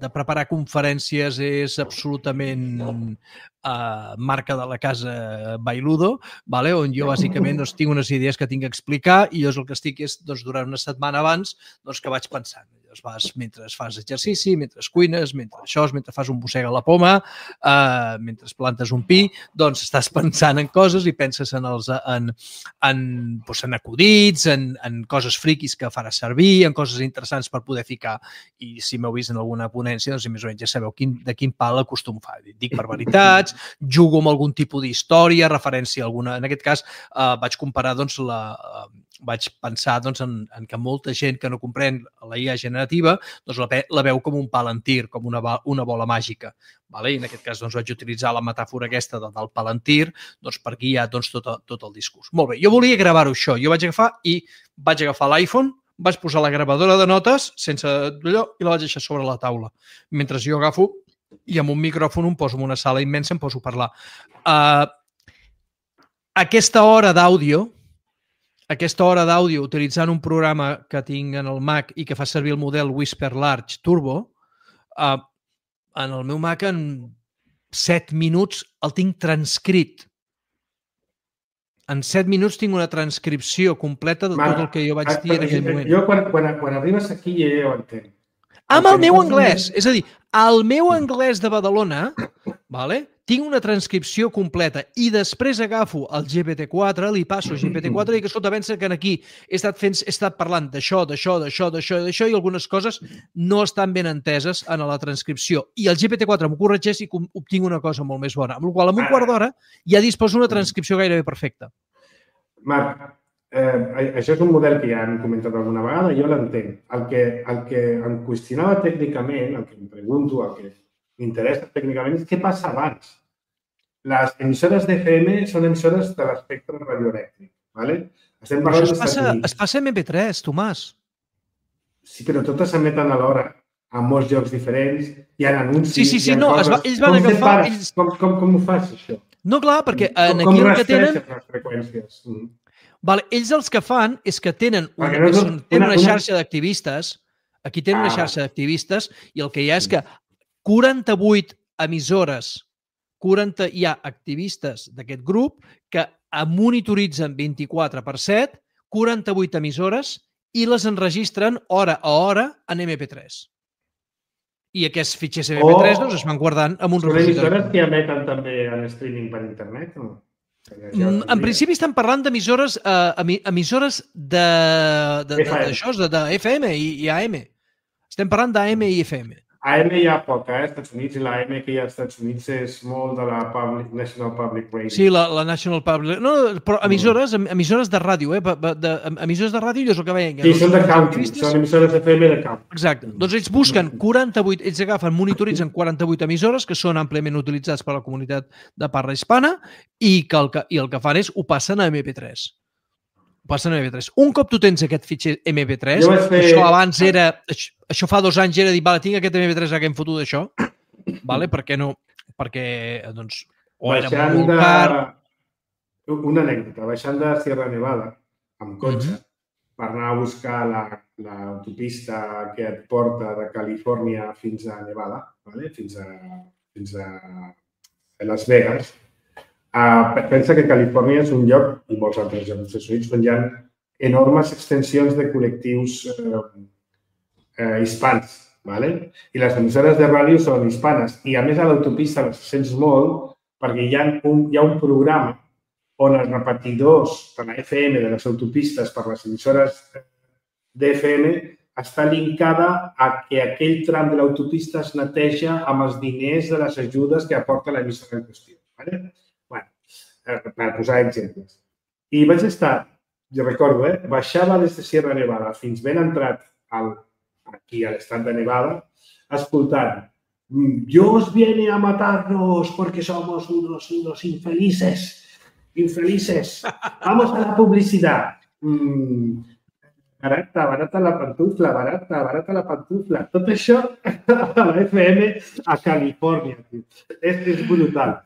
de preparar conferències és absolutament uh, marca de la casa Bailudo, vale? On jo bàsicament doncs, tinc unes idees que tinc que explicar i jo el que estic és doncs, durant una setmana abans doncs, que vaig pensant. Llavors vas mentre fas exercici, mentre cuines, mentre això, mentre fas un mossega a la poma, uh, mentre plantes un pi, doncs estàs pensant en coses i penses en, els, en, en, doncs, en acudits, en, en coses friquis que faràs servir, en coses interessants per poder ficar. I si m'heu vist en alguna ponència, doncs més o menys ja sabeu quin, de quin pal acostum fa. Dic barbaritats, jugo amb algun tipus d'història, referència a alguna... En aquest cas, eh, vaig comparar, doncs, la... Eh, vaig pensar doncs, en, en que molta gent que no comprèn la I A generativa doncs, la, la veu com un palantir, com una, una bola màgica. Vale? I en aquest cas doncs, vaig utilitzar la metàfora aquesta de, del palantir doncs, per guiar doncs, tot, tot el discurs. Molt bé, jo volia gravar-ho això. Jo vaig agafar i vaig agafar l'iPhone, vaig posar la gravadora de notes sense allò i la vaig deixar sobre la taula. Mentre jo agafo i amb un micròfon em poso en una sala immensa em poso a parlar. Uh, aquesta hora d'àudio Aquesta hora d'àudio utilitzant un programa que tinc en el Mac i que fa servir el model Whisper Large Turbo, eh, en el meu Mac en set minuts el tinc transcrit. En set minuts tinc una transcripció completa de tot el que jo vaig dir en aquell moment. Jo, quan, quan, quan arribes aquí, ja, ja ho entenc. Amb el meu anglès. És a dir, el meu anglès de Badalona, vale, tinc una transcripció completa i després agafo el G P T quatre, li passo el G P T quatre i dic, escolta, pensa que aquí he estat, fent, he estat parlant d'això, d'això, d'això, d'això, d'això i algunes coses no estan ben enteses en la transcripció. I el G P T quatre m'ho corregeix i obtinc una cosa molt més bona. Amb la qual cosa, en un quart d'hora ja disposo una transcripció gairebé perfecta. Marc, eh, això és un model que ja hem comentat alguna vegada, jo l'entenc. El que, el que em qüestionava tècnicament, el que em pregunto, el que m'interessa tècnicament és què passa abans. Les emissores d'F M són emissores de l'espectre radioelèctric, ¿vale? Estem parlant es passa, es passa en M P tres, Tomàs. Sí, però totes s'emeten alhora, en molts llocs diferents, hi ha anuncis, sí, sí, sí, hi ha no, coses. Va, ells van com agafar... Ells... Com, com, com ho fas, això? No, clar, perquè com, aquí com el que tenen... les freqüències? Mm. Vale, ells els que fan és que tenen una, Perquè no és són- tenen una- una una- xarxa d'activistes, aquí tenen una Ah. xarxa d'activistes i el que hi ha és que quaranta-vuit emissores, quaranta hi ha activistes d'aquest grup que monitoritzen vint-i-quatre per set, quaranta-vuit emissores i les enregistren hora a hora en eme pe tres. I aquests fitxers eme pe tres O- doncs, es van guardant amb un Són repositori. emissores que emeten també en streaming per internet, o no? Mm, En principi estem parlant d'emissores eh, emi- emissores de, de, de, F M. d'això, de, de efe eme i, i a eme. Estem parlant d'A eme i efe eme. A eme hi ha poca, eh, als Estats Units, i la A eme que hi ha als Estats Units és molt de la Public, National Public Radio. Sí, la, la National Public... No, però emissores, em- emissores de ràdio, eh? pa- pa- De, em- emissores de ràdio és el que veiem. Sí, són de county, activistes- són emissores de F M de county. Exacte. Doncs ells busquen quaranta-vuit, ells agafen, monitoritzen quaranta-vuit emissores que són àmpliament utilitzats per la comunitat de parla hispana i, que el que, i el que fan és ho passen a eme pe tres. Ho passen a eme pe tres. Un cop tu tens aquest fitxer eme pe tres, Jo vaig fer- això abans era... Això, això fa dos anys era dir, vale, tinc aquest eme pe tres, a què em foto d'això? Vale, per què no? Perquè, doncs, o era Baixant molt de... car... Una anècdota, baixant de Sierra Nevada amb cotxe Mhm. per anar a buscar la- l'autopista que et porta de Califòrnia fins a Nevada, vale? fins, a, fins a Las Vegas. Uh, pensa que Califòrnia és un lloc, i molts altres llocs dels Estats Units, on hi ha enormes extensions de col·lectius eh, eh, hispans. Vale? I les emissores de ràdio són hispanes. I a més a l'autopista les sents molt perquè hi ha un, hi ha un programa on els repetidors de la efe eme de les autopistes per les emissores d'efe eme està linkada a que aquell tram de l'autopista es neteja amb els diners de les ajudes que aporta l'emissora en qüestió. Vale? Bueno, per posar exemples. I vaig estar, jo recordo, eh, baixava des de Sierra Nevada fins ben entrat al, aquí a l'estat de Nevada, escoltant Dios viene a matarnos porque somos unos, unos infelices. Infelices. Vamos a la publicidad. Mm, barata, barata la pantufla, barata, barata la pantufla. Tot això a la efe eme a Califòrnia. És, és brutal.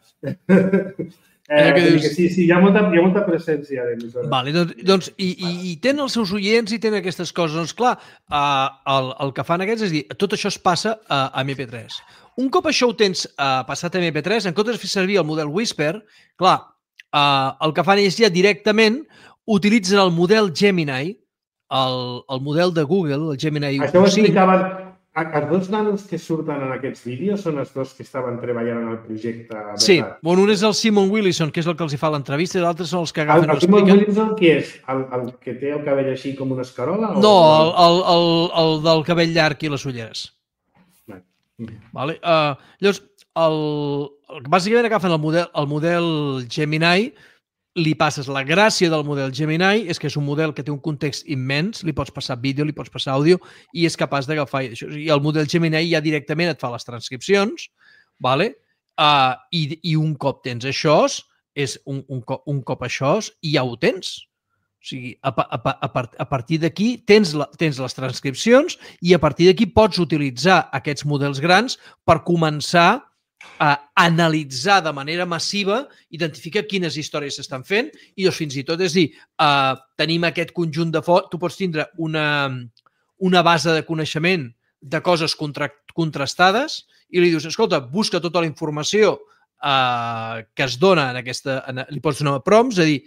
Eh, que dius- que sí, sí, hi ha molta, hi ha molta presència d'emissores. Vale, doncs, doncs i, i, i tenen els seus oients i tenen aquestes coses. Doncs clar, uh, el, el que fan aquests és dir, tot això es passa a, a eme pe tres. Un cop això ho tens uh, passat a eme pe tres, en comptes de fer servir el model Whisper, clar, uh, el que fan és ja directament utilitzen el model Gemini, el, el model de Google, el Gemini Això ho cinc. explicaven. Els dos nanos que surten en aquests vídeos són els dos que estaven treballant en el projecte. Sí, Betat. bueno, un és el Simon Willison, que és el que els hi fa l'entrevista, i l'altre són els que El, agafen i el ho Simon expliquen. Williamson, qui és? El, el que té el cabell així com una escarola? O... No, el, el, el, el del cabell llarg i les ulleres. Vale. Vale? Uh, llavors, el, el, bàsicament agafen el model, el model Gemini, li passes la gràcia del model Gemini, és que és un model que té un context immens, li pots passar vídeo, li pots passar àudio, i és capaç d'agafar això. I el model Gemini ja directament et fa les transcripcions, vale? uh, i, i un cop tens això, és un, un, cop, un cop això, ja ho tens. O sigui, a, a, a, a partir d'aquí tens, la, tens les transcripcions i a partir d'aquí pots utilitzar aquests models grans per començar a analitzar de manera massiva, identificar quines històries s'estan fent i doncs, fins i tot és dir, uh, tenim aquest conjunt de fotos, tu pots tindre una, una base de coneixement de coses contra, contrastades i li dius, escolta, busca tota la informació uh, que es dona en aquesta, en, li pots donar prompts, és a dir,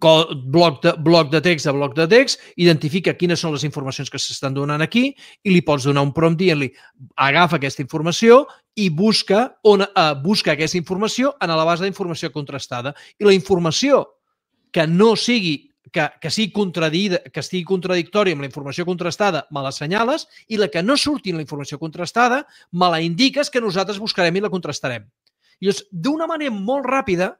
bloc de, bloc de text a bloc de text, identifica quines són les informacions que s'estan donant aquí i li pots donar un prompt dient-li agafa aquesta informació i busca, on, uh, busca aquesta informació en la base d'informació contrastada. I la informació que no sigui que, que, sigui contradida, que estigui contradictòria amb la informació contrastada, me la assenyales, i la que no surti en la informació contrastada, me la indiques que nosaltres buscarem i la contrastarem. I llavors, d'una manera molt ràpida,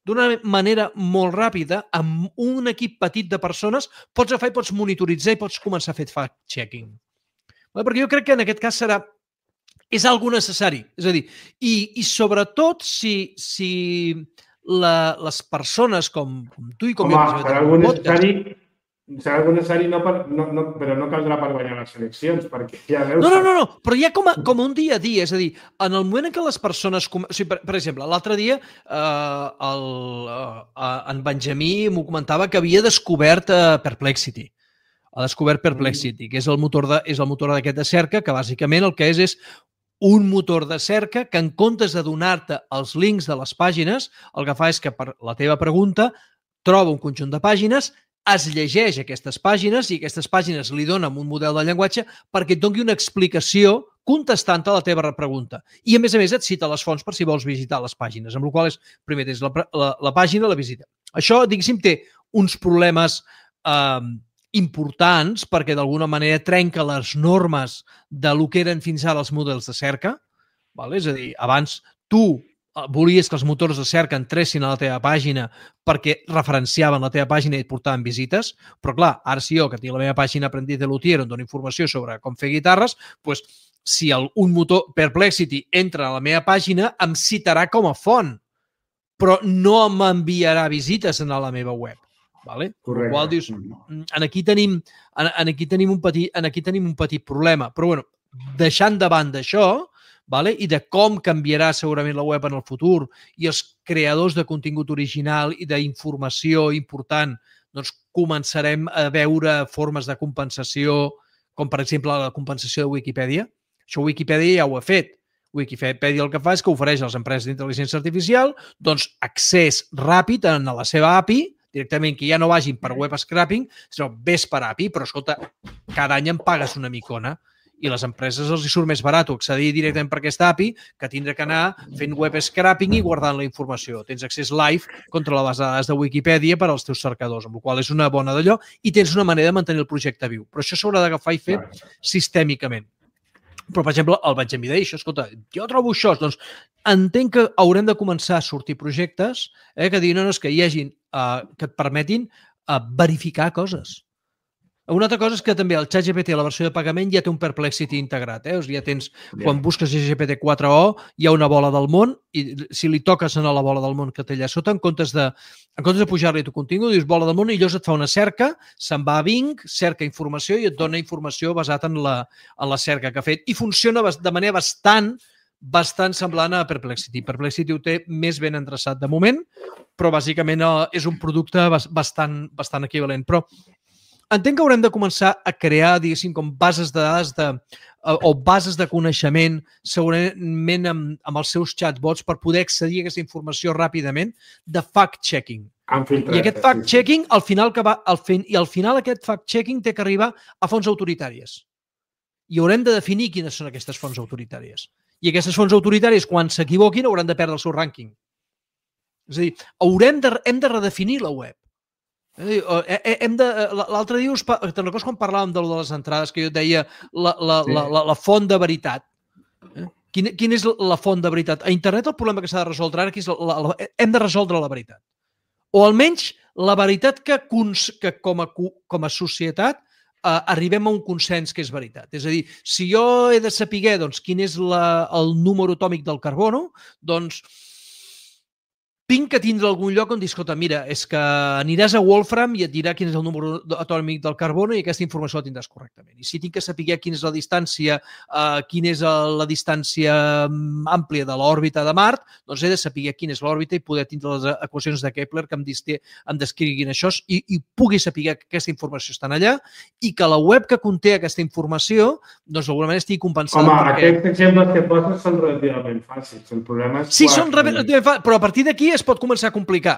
d'una manera molt ràpida, amb un equip petit de persones, pots agafar i pots monitoritzar i pots començar a fer fact-checking. Perquè jo crec que en aquest cas serà és algo necessari. És a dir, i, i sobretot si, si la, les persones com, com tu i com Home, jo... per algú necessari serà necessari, no per, no, no, però no caldrà per guanyar les eleccions, perquè ja veus... No, no, no, no, però hi ha com a, com un dia a dia, és a dir, en el moment en què les persones... O sigui, per, per exemple, l'altre dia eh, el, eh, en Benjamí m'ho comentava que havia descobert eh, Perplexity. Ha descobert Perplexity, que és el motor de, és el motor d'aquest de cerca, que bàsicament el que és és un motor de cerca que en comptes de donar-te els links de les pàgines, el que fa és que per la teva pregunta troba un conjunt de pàgines, es llegeix aquestes pàgines i aquestes pàgines li donen un model de llenguatge perquè et doni una explicació contestant a la teva pregunta. I, a més a més, et cita les fonts per si vols visitar les pàgines, amb la qual cosa, primer tens la, la, la pàgina, la visita. Això, diguéssim, té uns problemes eh, importants perquè, d'alguna manera, trenca les normes de lo que eren fins ara els models de cerca. Vale? És a dir, abans tu volies que els motors de cerca entressin a la teva pàgina perquè referenciaven la teva pàgina i et portaven visites, però clar, ara si jo, que tinc la meva pàgina Aprendiz de Luthier on dono informació sobre com fer guitarres, doncs si el, un motor Perplexity entra a la meva pàgina, em citarà com a font, però no m'enviarà visites a la meva web. Vale? Correcte. Qual dius, en aquí tenim, en, en aquí tenim un petit, en aquí tenim un petit problema, però bueno, deixant de banda això, vale? I de com canviarà segurament la web en el futur i els creadors de contingut original i d'informació important, doncs començarem a veure formes de compensació, com per exemple la compensació de Wikipedia. Això Wikipedia ja ho ha fet. Wikipedia el que fa és que ofereix a les empreses d'intel·ligència artificial doncs, accés ràpid a la seva A P I, directament que ja no vagin per web scraping, sinó ves per A P I, però escolta, cada any em pagues una micona. I les empreses els hi surt més barat accedir directament per aquesta A P I que tindre que anar fent web scraping i guardant la informació. Tens accés live contra la base de dades de Wikipedia per als teus cercadors, amb la qual cosa és una bona d'allò i tens una manera de mantenir el projecte viu. Però això s'haurà d'agafar i fer sistèmicament. Però, per exemple, el Benjamí deia això, escolta, jo trobo això, doncs entenc que haurem de començar a sortir projectes eh, que diguin, no, no, és que hi hagin, eh, que et permetin eh, verificar coses. Una altra cosa és que també el ChatGPT, la versió de pagament, ja té un Perplexity integrat. Eh? O sigui, ja tens, yeah. Quan busques G P T quatre o, hi ha una bola del món i si li toques a la bola del món que té allà sota, en comptes de, en comptes de pujar-li tu contingut, dius bola del món i llavors et fa una cerca, se'n va a Bing, cerca informació i et dona informació basat en la, en la cerca que ha fet. I funciona de manera bastant, bastant semblant a Perplexity. Perplexity ho té més ben endreçat de moment, però bàsicament és un producte bastant, bastant equivalent. Però entenc que haurem de començar a crear, diguéssim, com bases de dades de, o bases de coneixement segurament amb, amb els seus chatbots per poder accedir a aquesta informació ràpidament de fact-checking. I aquest fact-checking, al final, que va, al fin, i al final aquest fact-checking té que arribar a fonts autoritàries. I haurem de definir quines són aquestes fonts autoritàries. I aquestes fonts autoritàries, quan s'equivoquin, hauran de perdre el seu rànquing. És a dir, haurem de, hem de redefinir la web. L'altre dia, te'n recordes quan parlàvem de les entrades, que jo et deia la, la, sí. la, la, la font de veritat? Quina, quina és la font de veritat? A internet el problema que s'ha de resoldre ara és la, la, hem de resoldre la veritat. O almenys la veritat que, que com, a, com a societat eh, arribem a un consens que és veritat. És a dir, si jo he de saber doncs, quin és la, el número atòmic del carbono, doncs tinc que tindre algun lloc on dir, escolta, mira, és que aniràs a Wolfram i et dirà quin és el número atòmic del carbono i aquesta informació la tindràs correctament. I si tinc que saber quina és la distància, eh, quina és la distància àmplia de l'òrbita de Mart, doncs he de saber quina és l'òrbita i poder tindre les equacions de Kepler que em, disté, em descriguin això i, i pugui saber que aquesta informació està allà i que la web que conté aquesta informació, doncs d'alguna manera estigui compensada. Home, perquè... aquests exemples que poses són relativament fàcils. El problema és... Sí, són relativament fàcils, però a partir d'aquí es pot començar a complicar.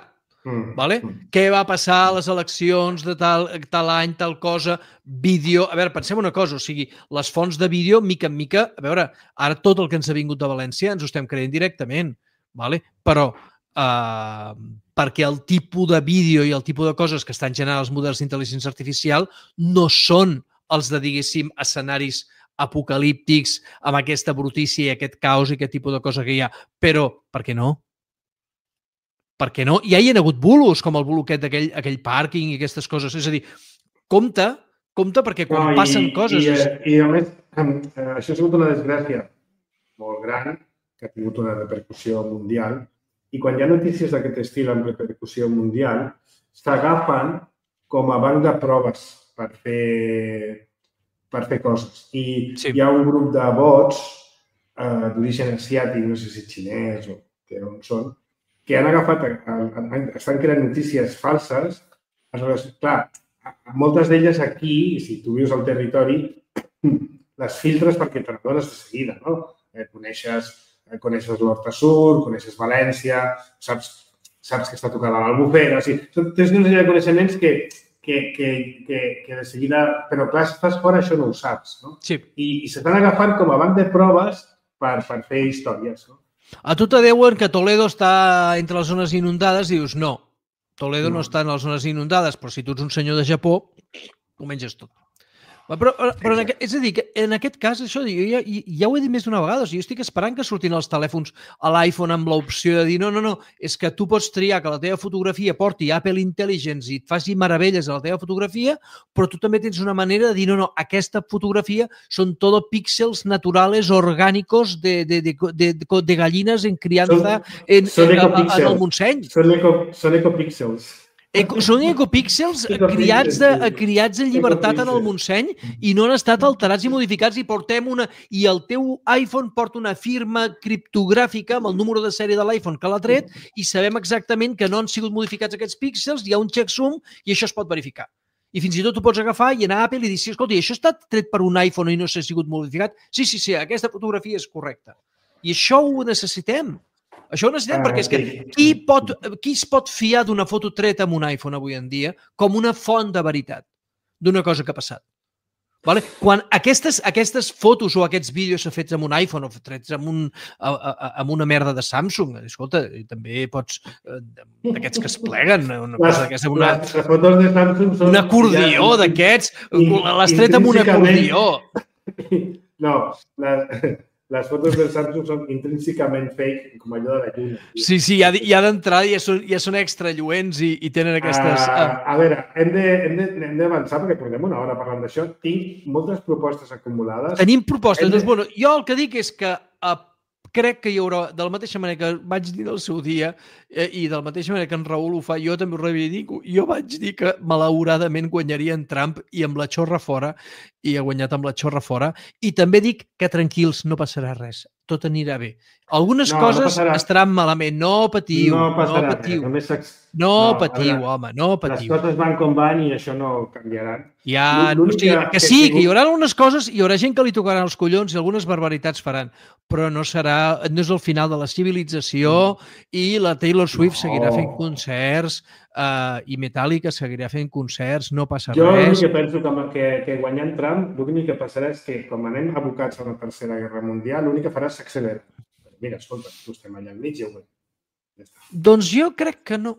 Mm. Vale? Mm. Què va passar a les eleccions de tal, tal any, tal cosa, vídeo... A veure, pensem una cosa, o sigui, les fonts de vídeo, mica en mica, a veure, ara tot el que ens ha vingut de València ens ho estem creient directament, vale? Però eh, perquè el tipus de vídeo i el tipus de coses que estan generant els models d'intel·ligència artificial no són els de, diguéssim, escenaris apocalíptics amb aquesta brutícia i aquest caos i aquest tipus de cosa que hi ha. Però, per què no? Per què no? Ja hi ha hagut bulos, com el bulo aquest d'aquell aquell pàrquing i aquestes coses. És a dir, compte, compte perquè quan no, i, passen coses... I, i, i a més, això ha sigut una desgràcia molt gran, que ha tingut una repercussió mundial, i quan hi ha notícies d'aquest estil amb repercussió mundial, s'agafen com a banc de proves per fer, per fer coses. I Sí. hi ha un grup de bots eh, d'origen asiàtic, no sé si xinès o que on són, que han agafat, estan creant notícies falses. Aleshores, clar, moltes d'elles aquí, si tu vius al territori, les filtres perquè te n'adones de seguida, no? Eh, coneixes, eh, coneixes l'Horta Sur, coneixes València, saps, saps que està tocada l'Albufera, o sigui, tens una sèrie de coneixements que, que, que, que, que de seguida... Però clar, si estàs fora això no ho saps, no? Sí. I, i s'estan agafant com a banc de proves per, per fer històries, no? A tu te deuen que Toledo està entre les zones inundades i dius no, Toledo no, no està en les zones inundades, però si tu ets un senyor de Japó, ho menges tot. Però, però en aquest, és a dir, que en aquest cas, això jo ja, ja ho he dit més d'una vegada, o sigui, jo estic esperant que surtin els telèfons a l'iPhone amb l'opció de dir no, no, no, és que tu pots triar que la teva fotografia porti Apple Intelligence i et faci meravelles a la teva fotografia, però tu també tens una manera de dir no, no, aquesta fotografia són todo píxels naturales, orgánicos de, de, de, de, de, de gallines en criança Són- en, són en, en, en ecopíxels. el Montseny. Són, eco, són ecopíxels. Eco, són ecopíxels criats, de, criats en llibertat en el Montseny i no han estat alterats i modificats i portem una... I el teu iPhone porta una firma criptogràfica amb el número de sèrie de l'iPhone que l'ha tret i sabem exactament que no han sigut modificats aquests píxels, hi ha un checksum i això es pot verificar. I fins i tot tu pots agafar i anar a Apple i dir, sí, escolta, això està tret per un iPhone i no s'ha sigut modificat? Sí, sí, sí, aquesta fotografia és correcta. I això ho necessitem. Això ho necessitem perquè és que qui, pot, qui es pot fiar d'una foto treta amb un iPhone avui en dia com una font de veritat d'una cosa que ha passat? Vale? Quan aquestes, aquestes fotos o aquests vídeos fets amb un iPhone o trets amb, un, amb una merda de Samsung, escolta, també pots... d'aquests que es pleguen, una cosa d'aquesta... Una, les, les fotos de Samsung són... un acordió ja, d'aquests, l'has tret amb un acordió. No, les, les fotos del Samsung són intrínsecament fake, com allò de la lluna. Sí, sí, ja, ja d'entrada ja, són, ja són extra lluents i, i tenen aquestes... Uh, a veure, hem d'avançar perquè portem una hora parlant d'això. Tinc moltes propostes acumulades. Tenim propostes. De... Doncs, bueno, jo el que dic és que uh, crec que hi haurà, de la mateixa manera que vaig dir del seu dia eh, i de la mateixa manera que en Raül ho fa, jo també ho reivindico, jo vaig dir que malauradament guanyaria en Trump i amb la xorra fora, i ha guanyat amb la xorra fora, i també dic que tranquils, no passarà res, tot anirà bé. Algunes no, coses no estaran malament, no patiu, no, no patiu. Res, només no, no patiu, veure, home, no patiu. Les coses van com van i això no canviaran. Ja, o sigui, que sí, que hi haurà algunes coses, hi haurà gent que li tocaran els collons i algunes barbaritats faran, però no serà, no és el final de la civilització i la Taylor Swift no. seguirà fent concerts uh, i Metallica seguirà fent concerts, no passa jo res. Jo l'únic que penso que, que, que guanyant Trump, l'únic que passarà és que, com anem abocats a la Tercera Guerra Mundial, l'únic que farà és s'accelera. Mira, escolta, tu estem allà enmig i ho veig. Ja està. Doncs jo crec que no.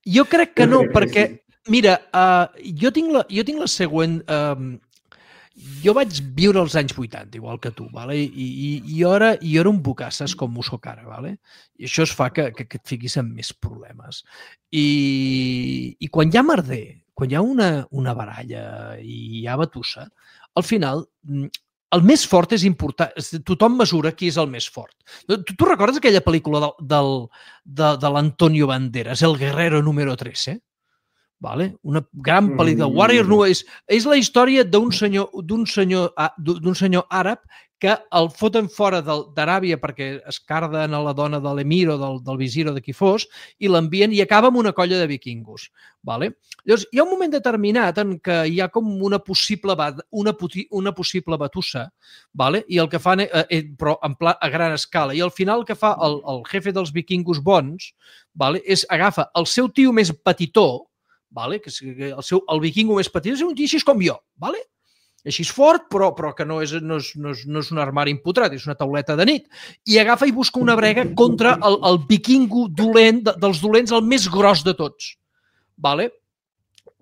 Jo crec que no, perquè, mira, uh, jo, tinc la, jo tinc la següent... Uh, jo vaig viure als anys vuitanta, igual que tu, vale? I, i, i jo, era, jo era un bocasses com ho soc ara, vale? I això es fa que, que, que et fiquis en més problemes. I, i quan hi ha merder, quan hi ha una, una baralla i hi ha batussa, al final... El més fort és important. Tothom mesura qui és el més fort. Tu, tu recordes aquella pel·lícula del, del, de, de l'Antonio Banderas, El guerrero número trece? Vale? Una gran pel·lícula. Warrior New és, és la història d'un senyor, d'un senyor, d'un senyor àrab que el foten fora d'Aràbia perquè es carden a la dona de l'emir o del, del visir o de qui fos i l'envien i acaba amb una colla de vikingos. Vale? Llavors, hi ha un moment determinat en què hi ha com una possible, una, una possible batussa, vale? I el que fan, eh, però en pla, a gran escala, i al final el que fa el, el jefe dels vikingos bons, vale? És agafa el seu tio més petitó, vale? Que és el, seu, el vikingo més petit és un tio així com jo, vale? Així és fort, però, però que no és, no, és, no, és, no és un armari imputrat, és una tauleta de nit. I agafa i busca una brega contra el, el vikingo dolent, de, dels dolents, el més gros de tots. Vale?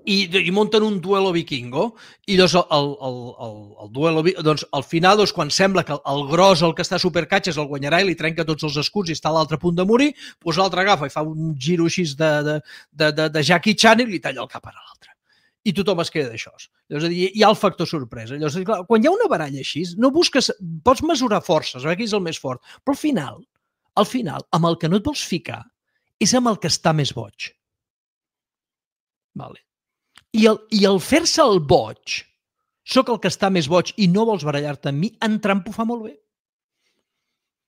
I, i munten un duelo vikingo. I doncs, el, el, el, el duelo, doncs al final, doncs, quan sembla que el, el gros, el que està supercatxes, el guanyarà i li trenca tots els escuts i està a l'altre punt de morir, doncs l'altre agafa i fa un giro així de, de, de, de, de Jackie Chan i li talla el cap a l'altre. I tothom es queda d'això. Llavors, hi ha el factor sorpresa. Llavors, clar, quan hi ha una baralla així, no busques, pots mesurar forces, a veure qui és el més fort, però al final, al final, amb el que no et vols ficar és amb el que està més boig. Vale. I el, i el fer-se el boig, soc el que està més boig i no vols barallar-te amb mi, en Trump ho fa molt bé.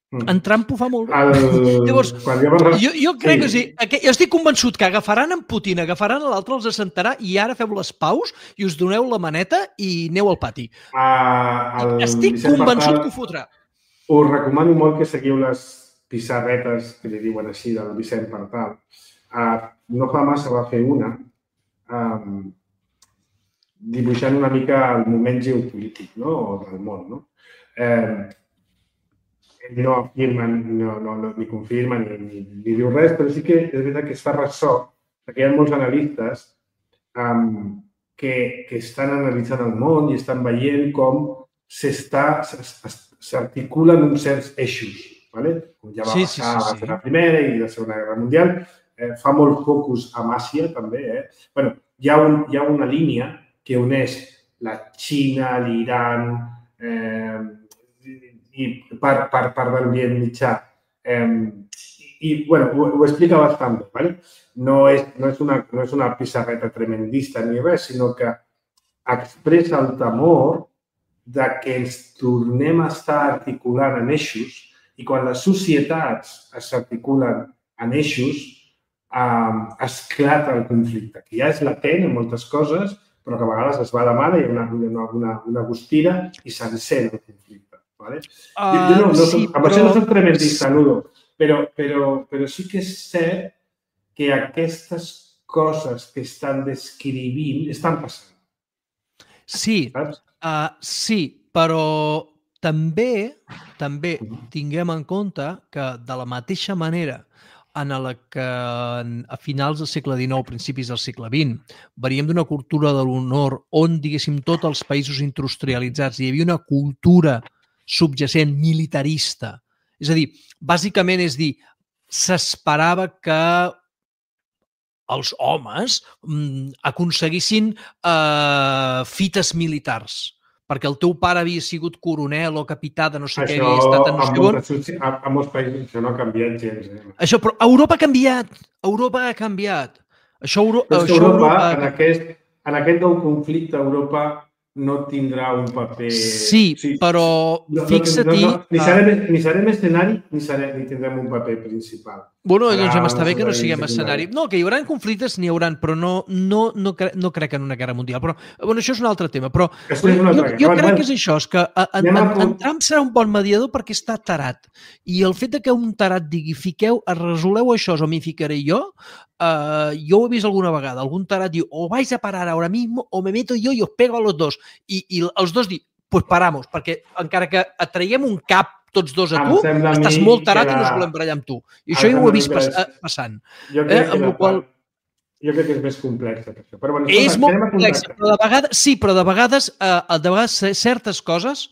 Mm. En Trump ho fa molt bé. El... Llavors, jo, jo, jo crec sí. que sí, jo estic convençut que agafaran en Putin, agafaran a l'altre, els assentarà i ara feu les paus i us doneu la maneta i aneu al pati. Uh, estic Vicent convençut Partal, que ho fotrà. Us recomano molt que seguiu les pissarretes, que li diuen així, del Vicent Partal. Uh, no fa massa va fer una um, dibuixant una mica el moment geopolític, no? Del món, no? Eh, no afirma, no, no, no, ni confirma, ni, ni, ni diu res, però sí que és veritat que es fa ressò que hi ha molts analistes um, que, que estan analitzant el món i estan veient com s'està, s'articulen uns certs eixos, ¿vale? Com ja va sí, passar sí, sí, sí. la Primera i la Segona Guerra Mundial, eh, fa molt focus a Àsia també. Eh? Bueno, hi, ha un, hi ha una línia que uneix la Xina, l'Iran, eh, i part, part, part del Orient Mitjà. Eh, I, bueno, ho, ho explica bastant bé, ¿vale? No és, no, és una, no és una pissarreta tremendista ni res, sinó que expressa el temor de que ens tornem a estar articulant en eixos i quan les societats s'articulen en eixos, eh, esclata el conflicte, que ja és latent en moltes coses, però que a vegades es va a la mà, hi ha una, una, una, una gustira i s'encén el conflicte. ¿Vale? Uh, jo no, no, sí, amb però... això no soc tremendista, Ludo, però, però, però sí que és cert que aquestes coses que estan descrivint estan passant. Sí, uh, sí, però també, també tinguem en compte que de la mateixa manera en la que a finals del segle dinou, principis del segle vint, veníem d'una cultura de l'honor on, diguéssim, tots els països industrialitzats hi havia una cultura subjacent, militarista. És a dir, bàsicament és dir, s'esperava que els homes aconseguissin eh, fites militars, perquè el teu pare havia sigut coronel o capità de no sé això, què, havia estat en no sé on. A, a molts països això no ha canviat gens. Eh? Això, però Europa ha canviat. Europa ha canviat. Això, Euro, però això Europa, Europa... En, aquest, en aquest nou conflicte, Europa no tindrà un paper... Sí, sí. però no, fixa-t'hi... No, no, no, ni, serem, ni serem escenari ni, serem, ni tindrem un paper principal. Bueno, doncs ja m'està bé que no siguem escenari. No, que hi haurà conflictes, n'hi haurà, però no, no, no, cre no crec en una guerra mundial. Però, bueno, això és un altre tema. Però, però jo, jo crec que és això, és que en, en, en Trump serà un bon mediador perquè està tarat. I el fet que un tarat digui, fiqueu, resoleu això o m'hi ficaré jo, Uh, jo ho he vist alguna vegada, algun tarat diu o vais a parar ahora mismo o me meto yo y os pego a los dos i, i els dos diuen, pues paramos perquè encara que et traiem un cap tots dos a tu, estàs molt tarat la... i no es volem barallar amb tu i això jo ho he vist pas, passant jo crec, eh, amb la qual... jo crec que és més complex que això. Però, bueno, és molt complex, però de vegades sí, però de vegades, uh, de vegades certes coses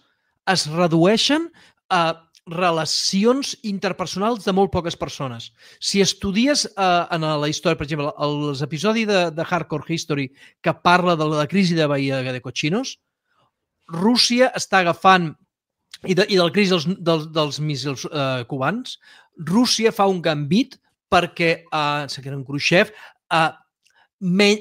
es redueixen a uh, relacions interpersonals de molt poques persones. Si estudies eh, en la història, per exemple, els episodis de, de Hardcore History que parla de la crisi de Bahia de Cochinos, Rússia està agafant, i, de, i del crisi dels, dels, dels míssils eh, cubans, Rússia fa un gambit perquè, eh, que era en Khrushchev, eh, me,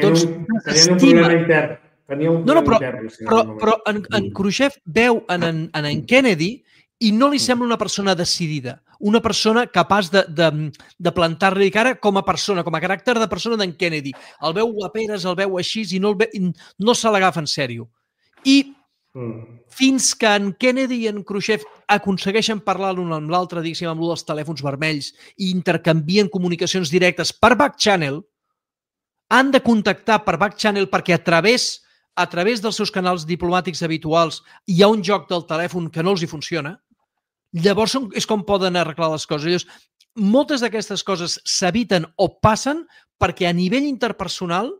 doncs, tenien un problema intern. Tenia un no, no, però, però, però en, en Khrushchev veu en, en, en, en Kennedy i no li sembla una persona decidida, una persona capaç de, de, de plantar-li cara com a persona, com a caràcter de persona d'en Kennedy. El veu guaperes, el veu així i no, el ve, no se l'agafa en sèrio. I fins que en Kennedy i en Khrushchev aconsegueixen parlar l'un amb l'altre, diguéssim, amb l'un dels telèfons vermells i intercanvien comunicacions directes per back channel, han de contactar per back channel perquè a través a través dels seus canals diplomàtics habituals hi ha un joc del telèfon que no els hi funciona, llavors és com poden arreglar les coses. Llavors, moltes d'aquestes coses s'eviten o passen perquè a nivell interpersonal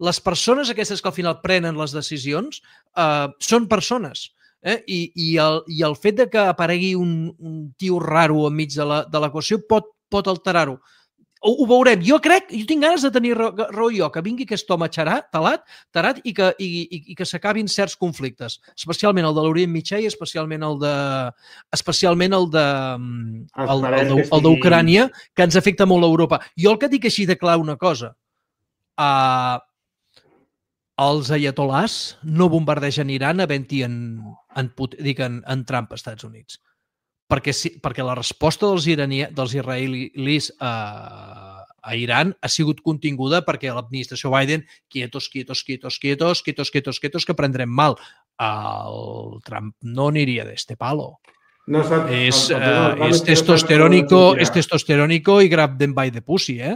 les persones aquestes que al final prenen les decisions eh, són persones. Eh? I, i, el, I el fet de que aparegui un, un tio raro enmig de l'equació pot, pot alterar-ho. Ho, ho veurem. Jo crec, jo tinc ganes de tenir raó, raó jo, que vingui aquest home xarat, talat, tarat i que, i, i, i que s'acabin certs conflictes, especialment el de l'Orient Mitjà i especialment el de especialment el de el, el, el d'Ucrània, que ens afecta molt a Europa. Jo el que dic així de clar una cosa, uh, els ayatolás no bombardegen Iran havent-hi en, en, dic, en, en Trump als Estats Units. Perquè, si, perquè la resposta dels, irania, dels israelis a, a Iran ha sigut continguda perquè l'administració Biden, quietos, quietos, quietos, quietos, quietos, quietos, quietos, que prendrem mal. El Trump no aniria d'este palo. No, saps, és, el, el, el, és, testosterónico, és testosterónico i grab them by the pussy, eh?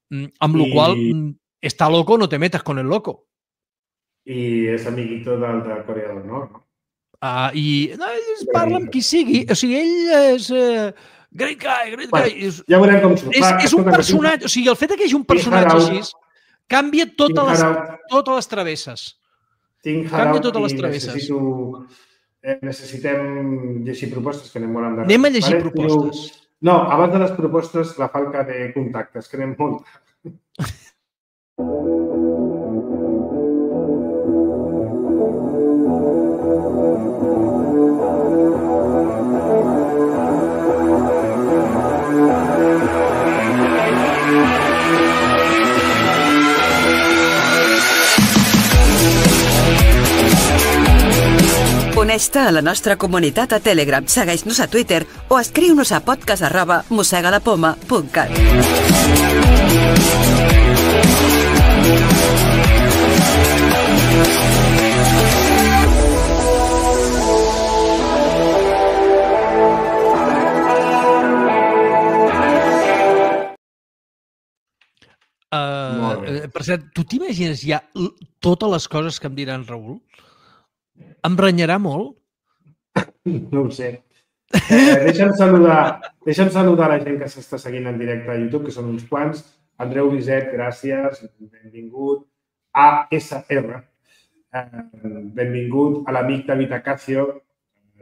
Amb I... la qual està loco, no te metas con el loco. I és amiguito del de Corea del Nord, no? Uh, I no, ell parla amb qui sigui. O sigui, ell és... Uh, great guy, great bueno, guy. És, ja veurem com s'ho és, fa. És un personatge... O sigui, el fet que hi hagi un personatge així canvia totes les, totes les travesses. Tinc canvia totes les travesses. Necessito, eh, necessitem llegir propostes que anem molt endarrere. Anem a llegir vale? propostes. No, abans de les propostes, la falca de contactes, que anem molt. Uneix-te a la nostra comunitat a Telegram, segueix-nos a Twitter o escriu-nos a podcast arroba mosegalapoma punt cat. Uh, per cert, tu t'imagines ja totes les coses que em diran Raül? Em renyarà molt? No ho sé. Eh, deixa'm, saludar, deixa'm saludar la gent que s'està seguint en directe a YouTube, que són uns quants. Andreu Viset, gràcies, benvingut. A S R, eh, benvingut. A l'amic David Acacio,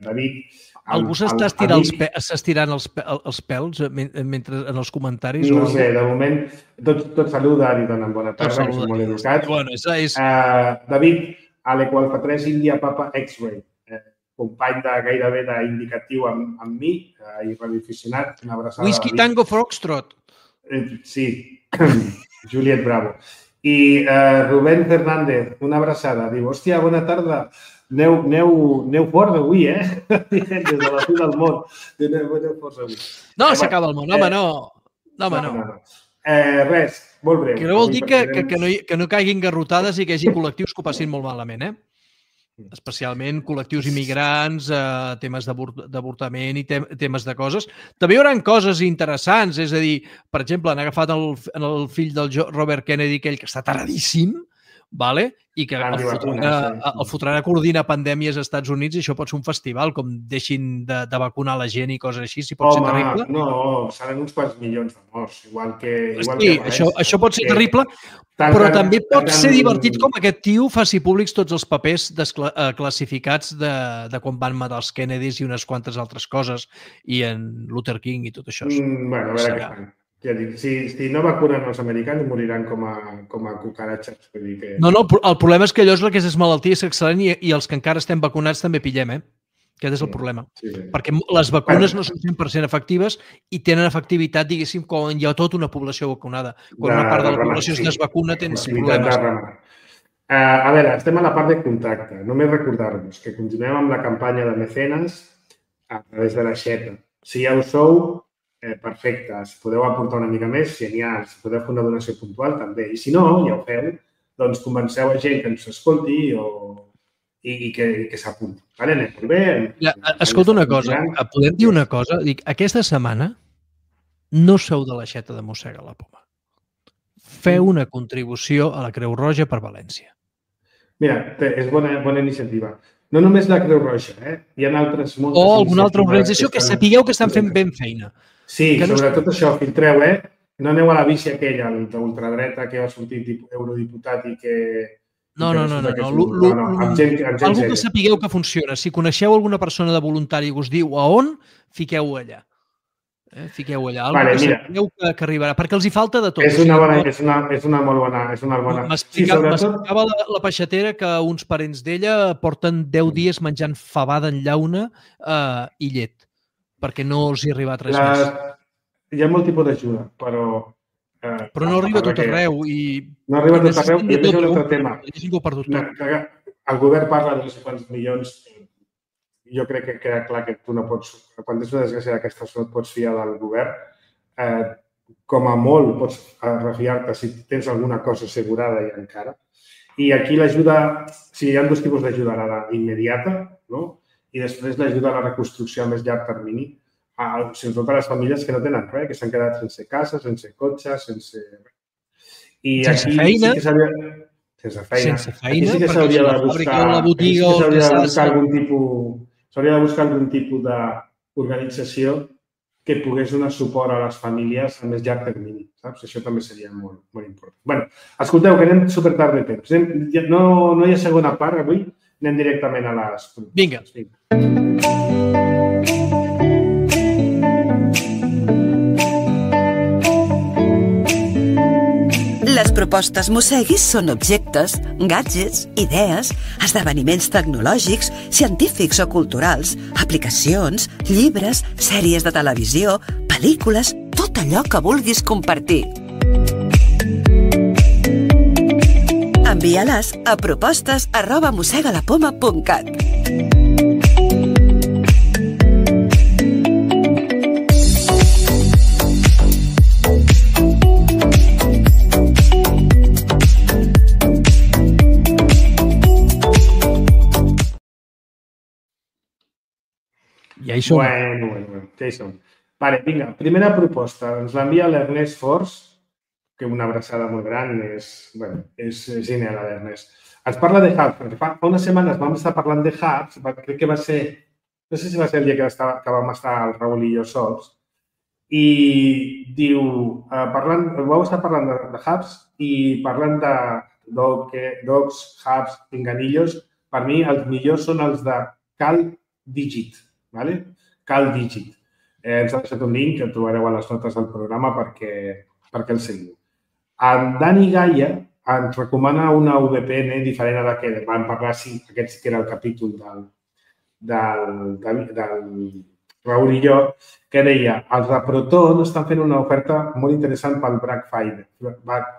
David. Algú s'està estirant, els, pe estirant els, pe els pèls mentre en els comentaris? No sé, de moment tots tot saluden i donen bona tarda, que són molt educats. Bueno, és... és... Uh, David, a l'Equalfa tres India Papa X-Ray, eh, company de gairebé d'indicatiu amb, amb mi eh, i radioaficionat. Una abraçada. Whisky Tango Foxtrot. Eh, sí, Juliet Bravo. I eh, Rubén Fernández, una abraçada. Diu, hòstia, bona tarda. Neu, neu, neu fort avui, eh? Des de la fi del món. Neu, neu fort avui. No, eh, s'acaba el món. Home, no. No, home, no. no, no. Eh, res, molt breu. Que no vol dir que, que, que, no, que no caiguin garrotades i que hi hagi col·lectius que ho passin molt malament, eh? Especialment col·lectius immigrants, eh, temes d'avortament i te temes de coses. També hi haurà coses interessants, és a dir, per exemple, han agafat el, el fill del Robert Kennedy, aquell que està taradíssim, vale? I que el fotran, a, el fotran a coordinar pandèmies als Estats Units i això pot ser un festival, com deixin de, de vacunar la gent i coses així, si pot Home, ser terrible. No, seran uns quants milions de morts, igual que... Igual sí, que això, això pot ser terrible, tant, però tant, també pot tant, ser divertit com aquest tio faci públics tots els papers classificats de, de quan van matar els Kennedys i unes quantes altres coses, i en Luther King i tot això. Mm, bueno, a veure què fan. Ja dic, si, si no vacunen els americans, moriran com a, com a cucaratxes. Vull dir que... No, no, el problema és que allò és aquestes malalties excel·lent i, i els que encara estem vacunats també pillem, eh? Aquest és el problema. Sí, sí. Perquè les vacunes no són cent per cent efectives i tenen efectivitat, diguéssim, quan hi ha tota una població vacunada. Quan de, una part de la població sí. es desvacuna, tens problemes. De uh, a veure, estem a la part de contacte. Només recordar-vos que continuem amb la campanya de mecenes a través de la xeta. Si ja ho sou, Eh, perfecte, si podeu aportar una mica més, genial, si podeu fer una donació puntual, també. I si no, ja ho feu, doncs convenceu a gent que ens escolti o... i, i que, que s'apunti. Vale, anem molt bé. Ja, escolta una cosa, podem dir una cosa? Dic, aquesta setmana no sou de l'aixeta de Mossega la Poma. Feu una contribució a la Creu Roja per València. Mira, és bona, bona iniciativa. No només la Creu Roja, eh? Hi ha altres moltes... O alguna altra organització que sapigueu que estan fent ben feina. Sí, que no sobretot és... això, filtreu, eh? No aneu a la bici aquella, l'ultradreta que va sortir eurodiputat i que... No, no, no, no. no. L no, no. Amb gent, amb gent algú que sapigueu que funciona. Si coneixeu alguna persona de voluntari que us diu a on, fiqueu-ho allà. Eh? Fiqueu allà. Algú vale, que mira, sapigueu que, que arribarà. Perquè els hi falta de tot. És una, bona, és una, és una molt bona... És una bona... M'explicava sí, sobretot... la, la peixatera que uns parents d'ella porten deu dies menjant fabada en llauna eh, i llet, perquè no els hi ha arribat res la... més. Hi ha molt tipus d'ajuda, però Eh, Però no arriba a tot arreu. I... No arriba a tot arreu. I a més, un altre tema. Ningú per tot. El govern parla de no sé quants milions. Jo crec que queda clar que tu no pots... Quan tens una desgràcia d'aquestes no et pots fiar del govern. Eh, com a molt pots refiar-te si tens alguna cosa assegurada i encara. I aquí l'ajuda... O sigui, hi ha dos tipus d'ajuda. La immediata, no? I després l'ajuda a la reconstrucció a més llarg termini. Sobretot a les famílies que no tenen res, que s'han quedat sense casa, sense cotxe, sense... I sense aquí feina. Sí que s'hauria... Sense feina. Sense feina, sí que perquè si de la buscar... fàbrica o la botiga... S'hauria o de buscar algun tipus... S'hauria de buscar algun tipus d'organització que pogués donar suport a les famílies a més llarg termini, saps? Això també seria molt, molt important. Bé, escolteu, que anem super tard de temps. No, no hi ha segona part avui, anem directament a les... Vinga. Vinga. Les propostes Mosseguis són objectes, gadgets, idees, esdeveniments tecnològics, científics o culturals, aplicacions, llibres, sèries de televisió, pel·lícules, tot allò que vulguis compartir. Envia-les a propostes arroba mossegalapoma punt cat. Ja hi som. Bueno, bueno, bueno, ja hi som. Vale, vinga, primera proposta. Ens l'envia l'Ernest Force, que una abraçada molt gran, és, bueno, és genial, l'Ernest. Ens parla de Hubs, perquè fa unes setmanes vam estar parlant de Hubs, crec que va ser, no sé si va ser el dia que, estava, que vam estar el Raül i jo sols, i diu, eh, parlant, vau estar parlant de, de Hubs i parlant de dog, Docs, Hubs, Pinganillos, per mi els millors són els de Cal Digit. Vale? Cal Digit. Eh, ens ha deixat un link que el trobareu a les notes del programa perquè, perquè el seguiu. En Dani Gaia ens recomana una V P N diferent a la que vam parlar, sí, aquest sí que era el capítol del, del, del, del Raül i jo, que deia, els de Proton estan fent una oferta molt interessant pel Black Friday. Black,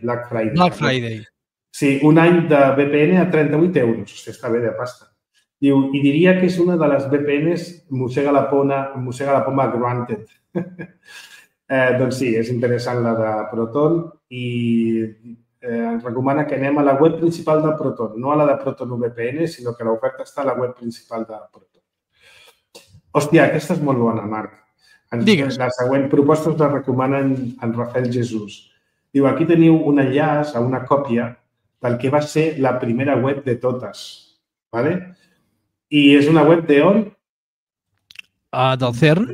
Black Friday. Black Friday. Sí, un any de V P N a trenta-vuit euros. Hòstia, està bé de pasta. Diu, i diria que és una de les V P Ns mossega la poma, mossega la poma granted. eh, doncs sí, és interessant la de Proton i eh, ens recomana que anem a la web principal de Proton, no a la de Proton V P N, sinó que l'oferta està a la web principal de Proton. Hòstia, aquesta és molt bona, Marc. Ens, Digues. La següent proposta us la recomana en, en Rafael Jesús. Diu, aquí teniu un enllaç a una còpia del que va ser la primera web de totes. Vale? I és una web d'on? Uh, del CERN.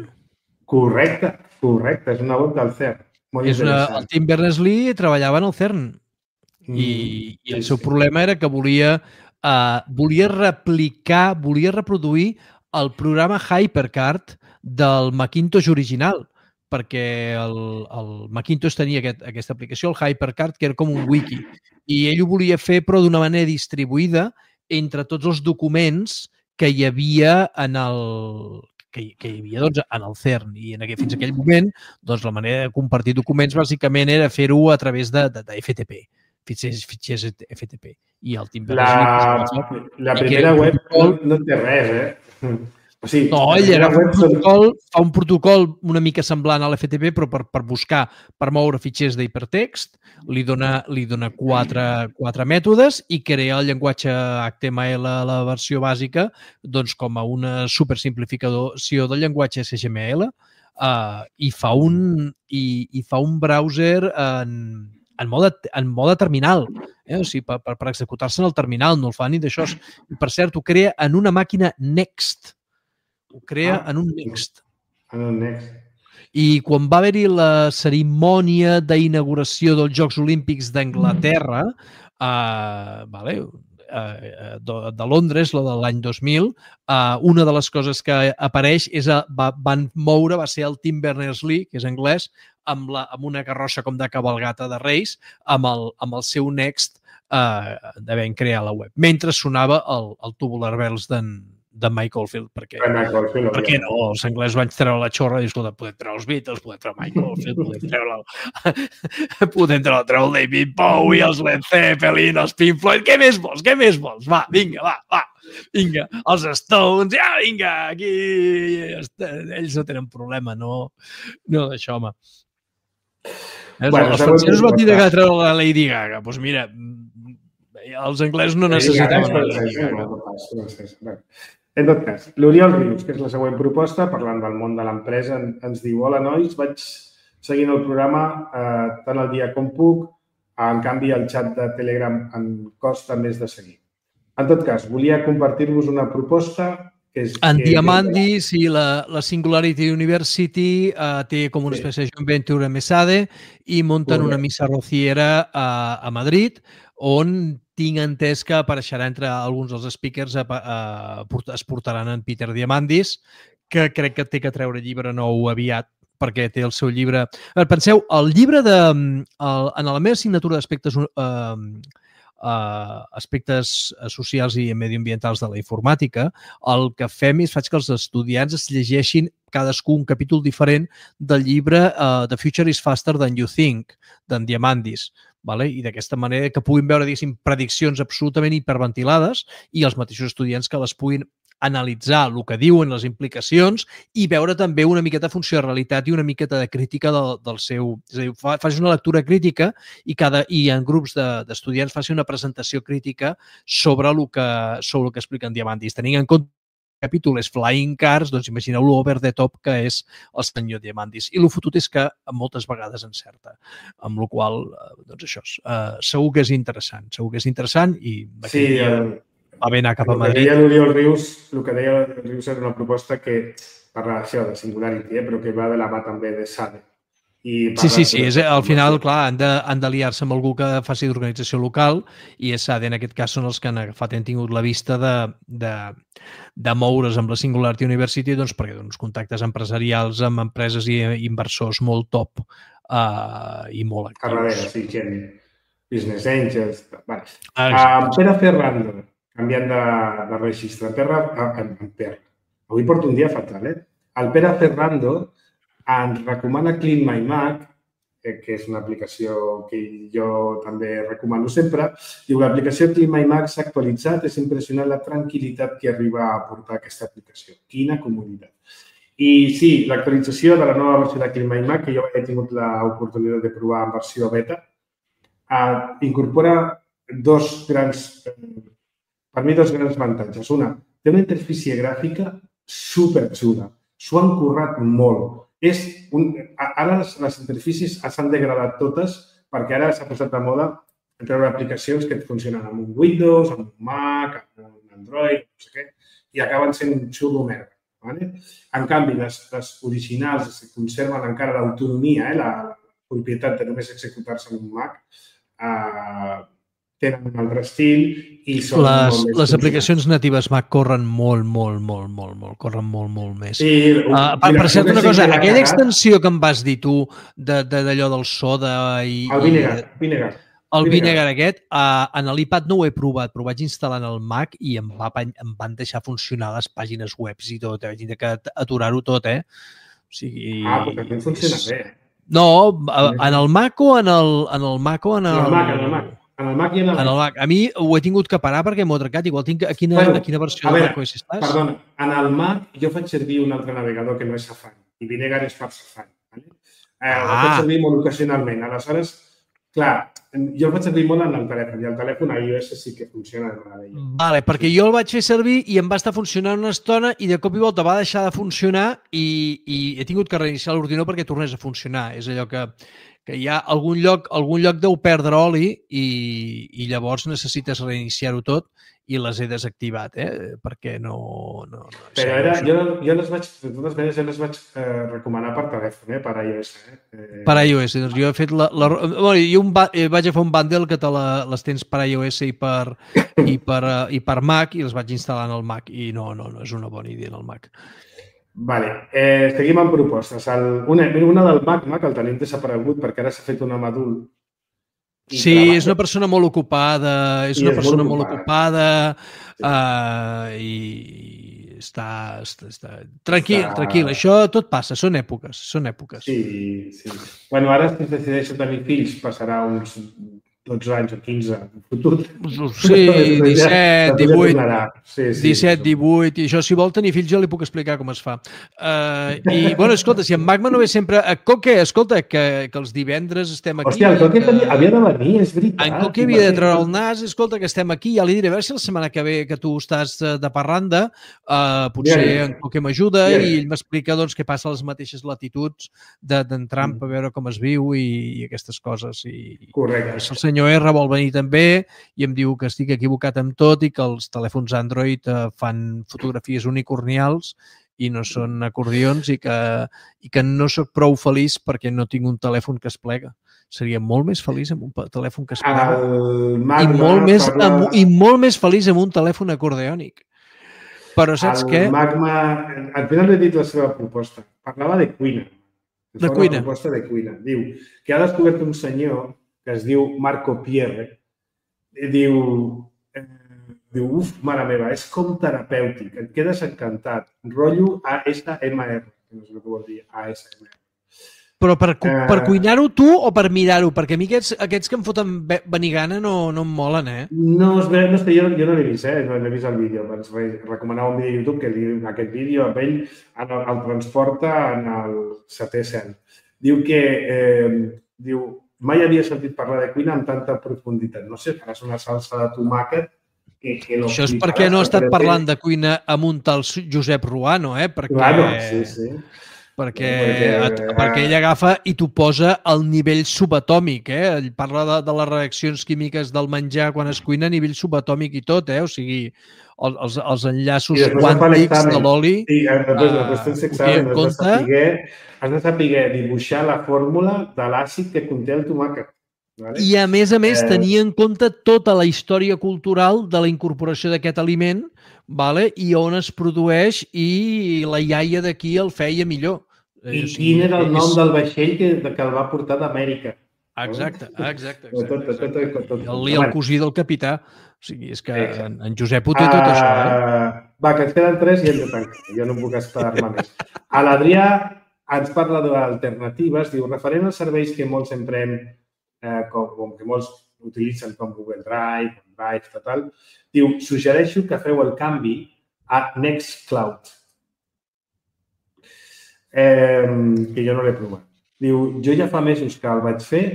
Correcte, correcte. És una web del CERN. Molt és una, el Tim Berners-Lee treballava en el CERN. Mm, I, i el sí, seu sí. problema era que volia, uh, volia replicar, volia reproduir el programa HyperCard del Macintosh original, perquè el, el Macintosh tenia aquest, aquesta aplicació, el HyperCard, que era com un wiki. I ell ho volia fer, però d'una manera distribuïda entre tots els documents que hi havia en el, que, que hi havia doncs, en el CERN. I en aquell, fins aquell moment doncs, la manera de compartir documents bàsicament era fer-ho a través de, de, de F T P, fitxers, fitxers F T P. I el Tim Berners-Lee... La, la primera web no, no té res, eh? O sigui, no, ell era un protocol, fa un protocol una mica semblant a l'F T P, però per, per buscar, per moure fitxers d'hipertext, li dona, li dona quatre, quatre mètodes i crea el llenguatge H T M L, la versió bàsica, doncs com a una supersimplificació del llenguatge C G M L uh, i, fa un, i, i fa un browser en, en, mode, en mode terminal. Eh? O sigui, per, per, per executar-se en el terminal, no el fa ni d'això. Per cert, ho crea en una màquina Next. Ho crea ah, en un Next. En un Next. I quan va haver-hi la cerimònia d'inauguració dels Jocs Olímpics d'Anglaterra, uh, vale, uh, de, de Londres, la de l'any dos mil, uh, una de les coses que apareix és a, va, van moure, va ser el Tim Berners-Lee, que és anglès, amb, la, amb una carrossa com de cabalgata de Reis, amb el, amb el seu Next uh, d'haver creat la web, mentre sonava el, el Tubular Bells d'en de Mike Oldfield, perquè, Oldfield, perquè no, els anglesos van treure la xorra i escolta, podem treure els Beatles, podem treure Mike Oldfield, podem treure el, podem treure el David Bowie, els Led Zeppelin, els Pink Floyd, què més vols, què més vols? Va, vinga, va, va, vinga, els Stones, ja, vinga, aquí, ells no tenen problema, no, no d'això, home. Bueno, els francesos van dir que treure la Lady Gaga. Doncs mira, els anglesos no necessitaven la Lady Gaga. En tot cas, l'Oriol Rius, que és la següent proposta, parlant del món de l'empresa, ens diu: hola, nois, vaig seguint el programa eh, tant el dia com puc. En canvi, el xat de Telegram em costa més de seguir. En tot cas, volia compartir-vos una proposta que és... En Diamandis i la, la Singularity University uh, té com una espècie de joint venture amb ESADE i munten una missa rociera a, a Madrid, on tinc entès que apareixerà entre alguns dels speakers, a, a, a, es portaran en Peter Diamandis, que crec que té que treure llibre nou aviat, perquè té el seu llibre... A veure, penseu, el llibre de... El, en la meva assignatura d'aspectes... Uh, Uh, aspectes socials i medioambientals de la informàtica, el que fem és faig que els estudiants es llegeixin cadascú un capítol diferent del llibre uh, The Future is Faster Than You Think, d'en Diamandis. Vale? I d'aquesta manera que puguin veure, diguéssim, prediccions absolutament hiperventilades i els mateixos estudiants que les puguin analitzar el que diuen, les implicacions, i veure també una miqueta de funció de realitat i una miqueta de crítica del, del seu... És a dir, faci una lectura crítica i, cada, i en grups d'estudiants de, faci una presentació crítica sobre el que, sobre el que expliquen Diamandis. Tenint en compte que el capítol és Flying Cars, doncs imagineu l'over the top que és el senyor Diamandis. I el fotut és que moltes vegades encerta. Amb la qual cosa, doncs això, uh, segur que és interessant. Segur que és interessant i... Sí, el... va bé anar cap a Madrid. El que deia l'Oriol Rius, el que deia l'Oriol Rius era una proposta que parla d'això, de Singularity, eh, però que va de la mà també de SADE. I sí, sí, sí. És, al final, clar, han de, han de liar-se amb algú que faci d'organització local i SADE, en aquest cas, són els que han agafat i han tingut la vista de, de, de moure's amb la Singularity University doncs, perquè uns contactes empresarials amb empreses i inversors molt top uh, i molt actius. A darrere, sí, gent, Business Angels... Vale. Ah, uh, Pere Ferrando, canviant de, de registre. Pere, en, en Pere. Avui porto un dia fatal, eh? El Pere Ferrando ens recomana Clean My Mac, que és una aplicació que jo també recomano sempre. Diu, l'aplicació Clean My Mac s'ha actualitzat, és impressionant la tranquil·litat que arriba a aportar aquesta aplicació. Quina comoditat. I sí, l'actualització de la nova versió de Clean My Mac, que jo he tingut l'oportunitat de provar en versió beta, eh, incorpora dos grans... Per mi, dos grans avantatges. Una, té una interfície gràfica superxula. S'ho han currat molt. És un... Ara les, les interfícies s'han degradat totes perquè ara s'ha posat de moda treure aplicacions que funcionen amb un Windows, amb un Mac, amb un Android, no sé què, i acaben sent un xulo merda. ¿Vale? En canvi, les, les originals es conserven encara l'autonomia, eh? la, la propietat de només executar-se en un Mac, eh, tenen un altre estil i són les, molt més... Les aplicacions natives Mac corren molt, molt, molt, molt, molt, corren molt, molt més. Sí, uh, per per cert, una cosa, aquella extensió que em vas dir tu d'allò del Soda i... El Vinegar, Vinegar. El Vinegar aquest, uh, en l'iPad no ho he provat, però ho vaig instal·lar en el Mac i em, va, em van deixar funcionar les pàgines web i tot, eh? Vaig que aturar-ho tot, eh? O sigui... Ah, però també funciona bé. No, en el Mac o en el, en el Mac o en el... En el Mac, en el Mac. En el Mac i en el Mac. En el Mac. A mi ho he tingut que parar perquè m'ho he trencat. Igual tinc... A quina, bueno, a quina versió a de Mac O S estàs? Perdona, en el Mac jo faig servir un altre navegador que no és Safari. I Vinegar és per Safari. Vale? Eh, ah. Ho faig servir molt ocasionalment. Aleshores, clar, jo el faig servir molt en el telèfon i el telèfon a iOS sí que funciona de meravella. Vale, perquè jo el vaig fer servir i em va estar funcionant una estona i de cop i volta va deixar de funcionar i, i he tingut que reiniciar l'ordinador perquè tornés a funcionar. És allò que... que hi ha algun lloc, algun lloc deu perdre oli i, i llavors necessites reiniciar-ho tot i les he desactivat, eh? Perquè no... no, no Però era, jo, jo les vaig, de totes maneres, jo les vaig eh, recomanar per telèfon, eh? Per iOS. Eh? Eh... Per iOS, doncs jo he fet la... la bueno, jo un, vaig a fer un bundle que te la, les tens per iOS i per, i, per, i per Mac i les vaig instal·lar en el Mac i no, no, no és una bona idea en el Mac. Vale, eh, seguim amb propostes. El, una, una del Mac, Mac el tenim desaparegut perquè ara s'ha fet un home adult. Sí, treballa. És una persona molt ocupada, és I una és persona molt ocupada, molt ocupada sí. uh, i està... està, està... Tranquil, està... tranquil, això tot passa, són èpoques, són èpoques. Sí, sí. Bueno, ara si decideixo tenir fills passarà uns dotze anys o quinze, fotut. Sí, disset, divuit, sí, sí, disset, divuit, i això, si vol tenir fills, jo li puc explicar com es fa. Uh, I, bueno, escolta, si en Magma no ve sempre... A Coque, escolta, que, que els divendres estem aquí... Hòstia, el Coque que... havia de venir, és veritat. En Coque havia de treure el nas, escolta, que estem aquí, ja li diré, a veure si la setmana que ve que tu estàs de parranda, uh, potser yeah, en Coque m'ajuda yeah, i ell m'explica doncs, què passa a les mateixes latituds d'en Trump, mm. a veure com es viu i, i aquestes coses. I, correcte. El senyor R vol venir també i em diu que estic equivocat amb tot i que els telèfons Android eh, fan fotografies unicornials i no són acordions i que, i que no sóc prou feliç perquè no tinc un telèfon que es plega. Seria molt més feliç amb un telèfon que es plega i molt, més, parla... amb, i molt més feliç amb un telèfon acordeònic. Però saps el què? Magma, al final he dit la seva proposta. Parlava de cuina. De cuina. Una proposta de cuina. Diu que ha descobert un senyor que es diu Marco Pierre, diu, eh, diu, uf, mare meva, és com terapèutic, et quedes encantat, rotllo A S M R, no sé el que vol dir, A S M R. Però per, eh... per cuinar-ho tu o per mirar-ho? Perquè a mi aquests, aquests que em foten benigana no, no em molen, eh? No, és bé, no sé, jo, jo no l'he vist, eh? No l'he vist el vídeo. Vaig recomanar un vídeo a YouTube que diu aquest vídeo amb ell el, el transporta en el setè cel. Diu que, eh, diu, mai havia sentit parlar de cuina amb tanta profunditat. No sé, faràs una salsa de tomàquet que, que no... Això és perquè no ha estat parlant de cuina amb un tal Josep Ruano, eh? Perquè, claro, sí, sí. Perquè, perquè, perquè ell agafa i t'ho posa al nivell subatòmic, eh? Ell parla de, de les reaccions químiques del menjar quan es cuina a nivell subatòmic i tot, eh? O sigui, els, els enllaços quàntics de l'oli... Sí, després, després tens examen, has de saber, has de saber dibuixar la fórmula de l'àcid que conté el tomàquet. Vale? I a més a més eh... tenir en compte tota la història cultural de la incorporació d'aquest aliment, vale? I on es produeix i la iaia d'aquí el feia millor. I o sigui, quin era el nom és... del vaixell que, que el va portar d'Amèrica. Exacte, exacte. exacte, tot, tot, tot, tot, tot. El, el cosí del capità. O sigui, és que en, en Josep ho té tot uh, això. Eh? Va, que ens queden tres i hem de tancar. Jo no puc esperar-me més. A l'Adrià ens parla d'alternatives. Diu, referent als serveis que molts emprem, eh, com, com que molts utilitzen com Google Drive, Drive, total, diu, suggereixo que feu el canvi a Nextcloud. Eh, que jo no l'he provat. Diu, jo ja fa mesos que el vaig fer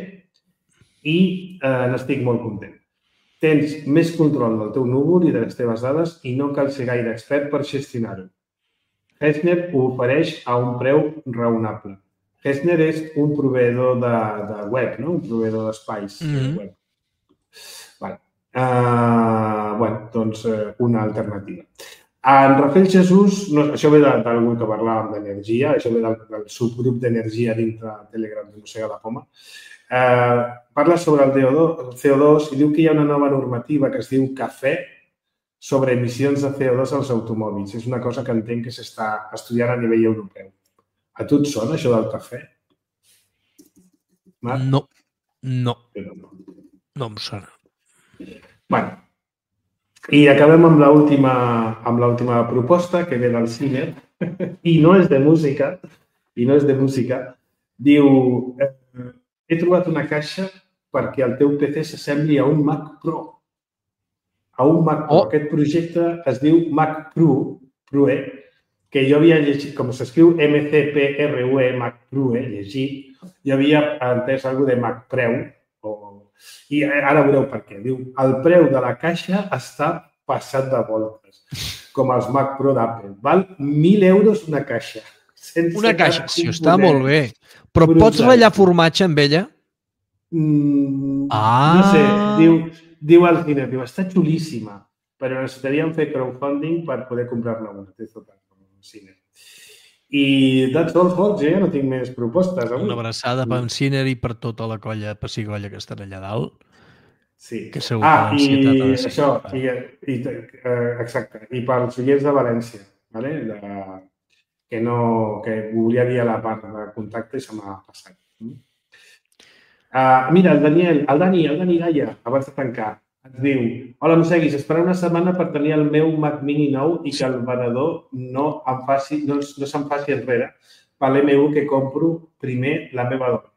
i eh, n'estic molt content. Tens més control del teu núvol i de les teves dades i no cal ser gaire expert per gestionar-ho. Hessner ho ofereix a un preu raonable. Hessner és un proveïdor de, de web, no? Un proveïdor d'espais mm-hmm. web. Vale. Uh, bueno, doncs uh, una alternativa. En Rafael Jesús, no, això ve d'algú que parlàvem d'energia, això ve del, del subgrup d'energia dintre de Telegram de Mossega la Poma. Eh, parla sobre el C O dos i diu que hi ha una nova normativa que es diu Cafè sobre emissions de C O dos als automòbils. És una cosa que entenc que s'està estudiant a nivell europeu. A tu et sona això del cafè? Marc? No, no. No em sona. Bueno, i acabem amb l'última amb l'última proposta que ve del Ciner i no és de música i no és de música. Diu, eh, he trobat una caixa perquè el teu P C s'assembli a un Mac Pro. A un Mac Pro. Oh. Aquest projecte es diu Mac Pro, Pro, que jo havia llegit, com s'escriu M C P R U E, Mac Pro, llegit, jo havia entès alguna de Mac Preu, o i ara veureu per què. Diu, el preu de la caixa està passat de voltes, com els Mac Pro d'Apple. Val mil euros una caixa. Una caixa, sí, està molt bé. Però pots ratllar formatge amb ella? Mm, ah. No sé, diu, diu al Ciner, diu, està xulíssima, però necessitaríem fer crowdfunding per poder comprar-ne una. Té tot el Ciner. I that's all, folks. Jo ja no tinc més propostes avui. Una abraçada per en Ciner i per tota la colla pessigolla que estan allà dalt. Sí. Que segur ah, que l'ansietat ha de ser. Això, i, i, eh, exacte. I pels oients de València, ¿vale? De, que, no, que volia dir a la part de contacte i se m'ha passat. Uh, mira, el Daniel, el Dani, el Dani Gaia, abans de tancar, ens diu: hola, Moseguis, espera una setmana per tenir el meu Mac Mini nou i que el venedor no em faci, no, no se'n faci enrere per l'M U que compro primer la meva dona.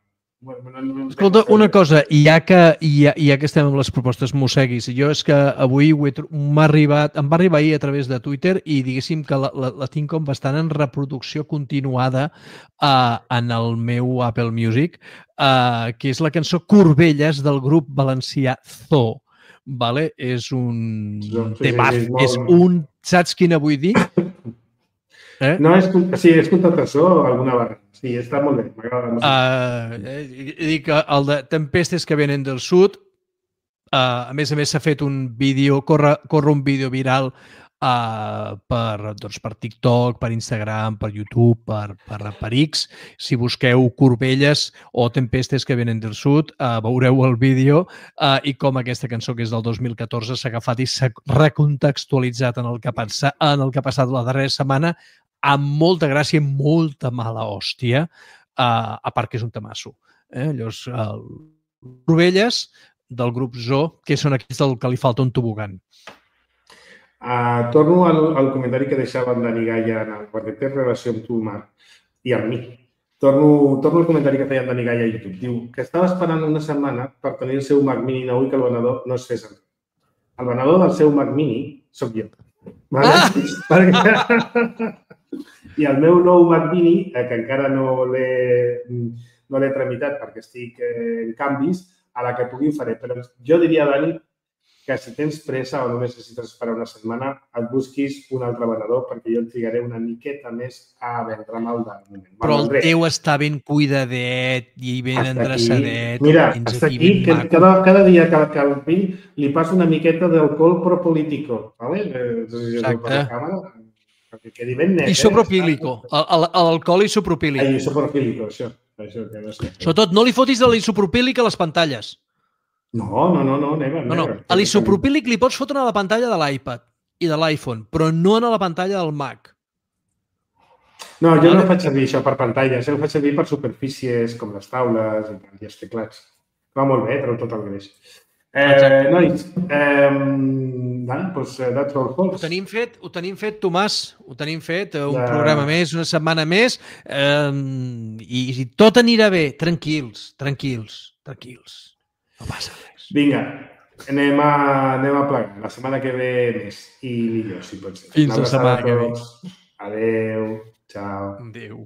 Bueno, no, no Escolta, una cosa, i ja que, ja, ja que estem amb les propostes Moseguis, jo és que avui m'ha arribat, em va arribar ahir a través de Twitter i diguéssim que la, la, la tinc com bastant en reproducció continuada uh, en el meu Apple Music, uh, que és la cançó Corbelles del grup valencià Zoo. Vale? És un sí, sí, temaz, sí, molt... és un... Saps quina vull dir? Eh? No, és, sí, he escoltat això alguna vegada. Sí, està molt bé, m'agrada la música. Uh, dic que el de Tempestes que venen del sud, uh, a més a més s'ha fet un vídeo, corre, corre un vídeo viral uh, per, doncs, per TikTok, per Instagram, per YouTube, per, per, per X. Si busqueu Corbelles o Tempestes que venen del sud, uh, veureu el vídeo uh, i com aquesta cançó, que és del dos mil catorze, s'ha agafat i s'ha recontextualitzat en el que, passa, en el que ha passat la darrera setmana, amb molta gràcia i molta mala hòstia, uh, a part que és un tamasso. Eh? Llavors, el Corbelles del grup Zoo, que són aquells del que li falta un tobogan. Uh, torno al, al comentari que deixava en Dani Gaia en el perquè té relació amb tu, Marc, i amb mi. Torno, torno al comentari que feia en Dani Gaia a YouTube. Diu que estava esperant una setmana per tenir el seu Mac Mini nou i que el venedor no es fes. El venedor del seu Mac Mini soc jo. Vale? Ah! Perquè... I el meu nou Mac Mini, eh, que encara no l'he no l'he tramitat perquè estic eh, en canvis, a la que pugui ho faré. Però jo diria, Dani, que si tens pressa o només necessites esperar una setmana, et busquis un altre venedor perquè jo et trigaré una miqueta més a vendre'm el del moment. Però el teu està ben cuidadet i ben hasta endreçadet. Aquí. Mira, hasta aquí, que cada, cada dia que, que el fill li passa una miqueta d'alcohol propolítico. ¿Vale? Exacte. Que quedi ben net. Isopropílico. Eh? L'alcohol isopropílic. Ah, isopropílico, això. això que no sé. Sobretot, no li fotis de l'isopropílic a les pantalles. No, no, no, no, never, no, no. A l'isopropílic li pots fotre a la pantalla de l'iPad i de l'iPhone, però no a la pantalla del Mac. No, jo no faig servir això per pantalles, ho faig servir per superfícies com les taules i els teclats. Va molt bé, treu tot el greix. Eh, nois, eh, doncs, that's all, folks. Ho tenim fet, ho tenim fet, Tomàs, ho tenim fet, un ja. programa més, una setmana més, eh, i, i tot anirà bé, tranquils, tranquils, tranquils, no passa res. Vinga, anem a, anem a plegar, la setmana que ve més, i millor, si pot ser. Fins la setmana que ve. Adéu, ciao. Adéu.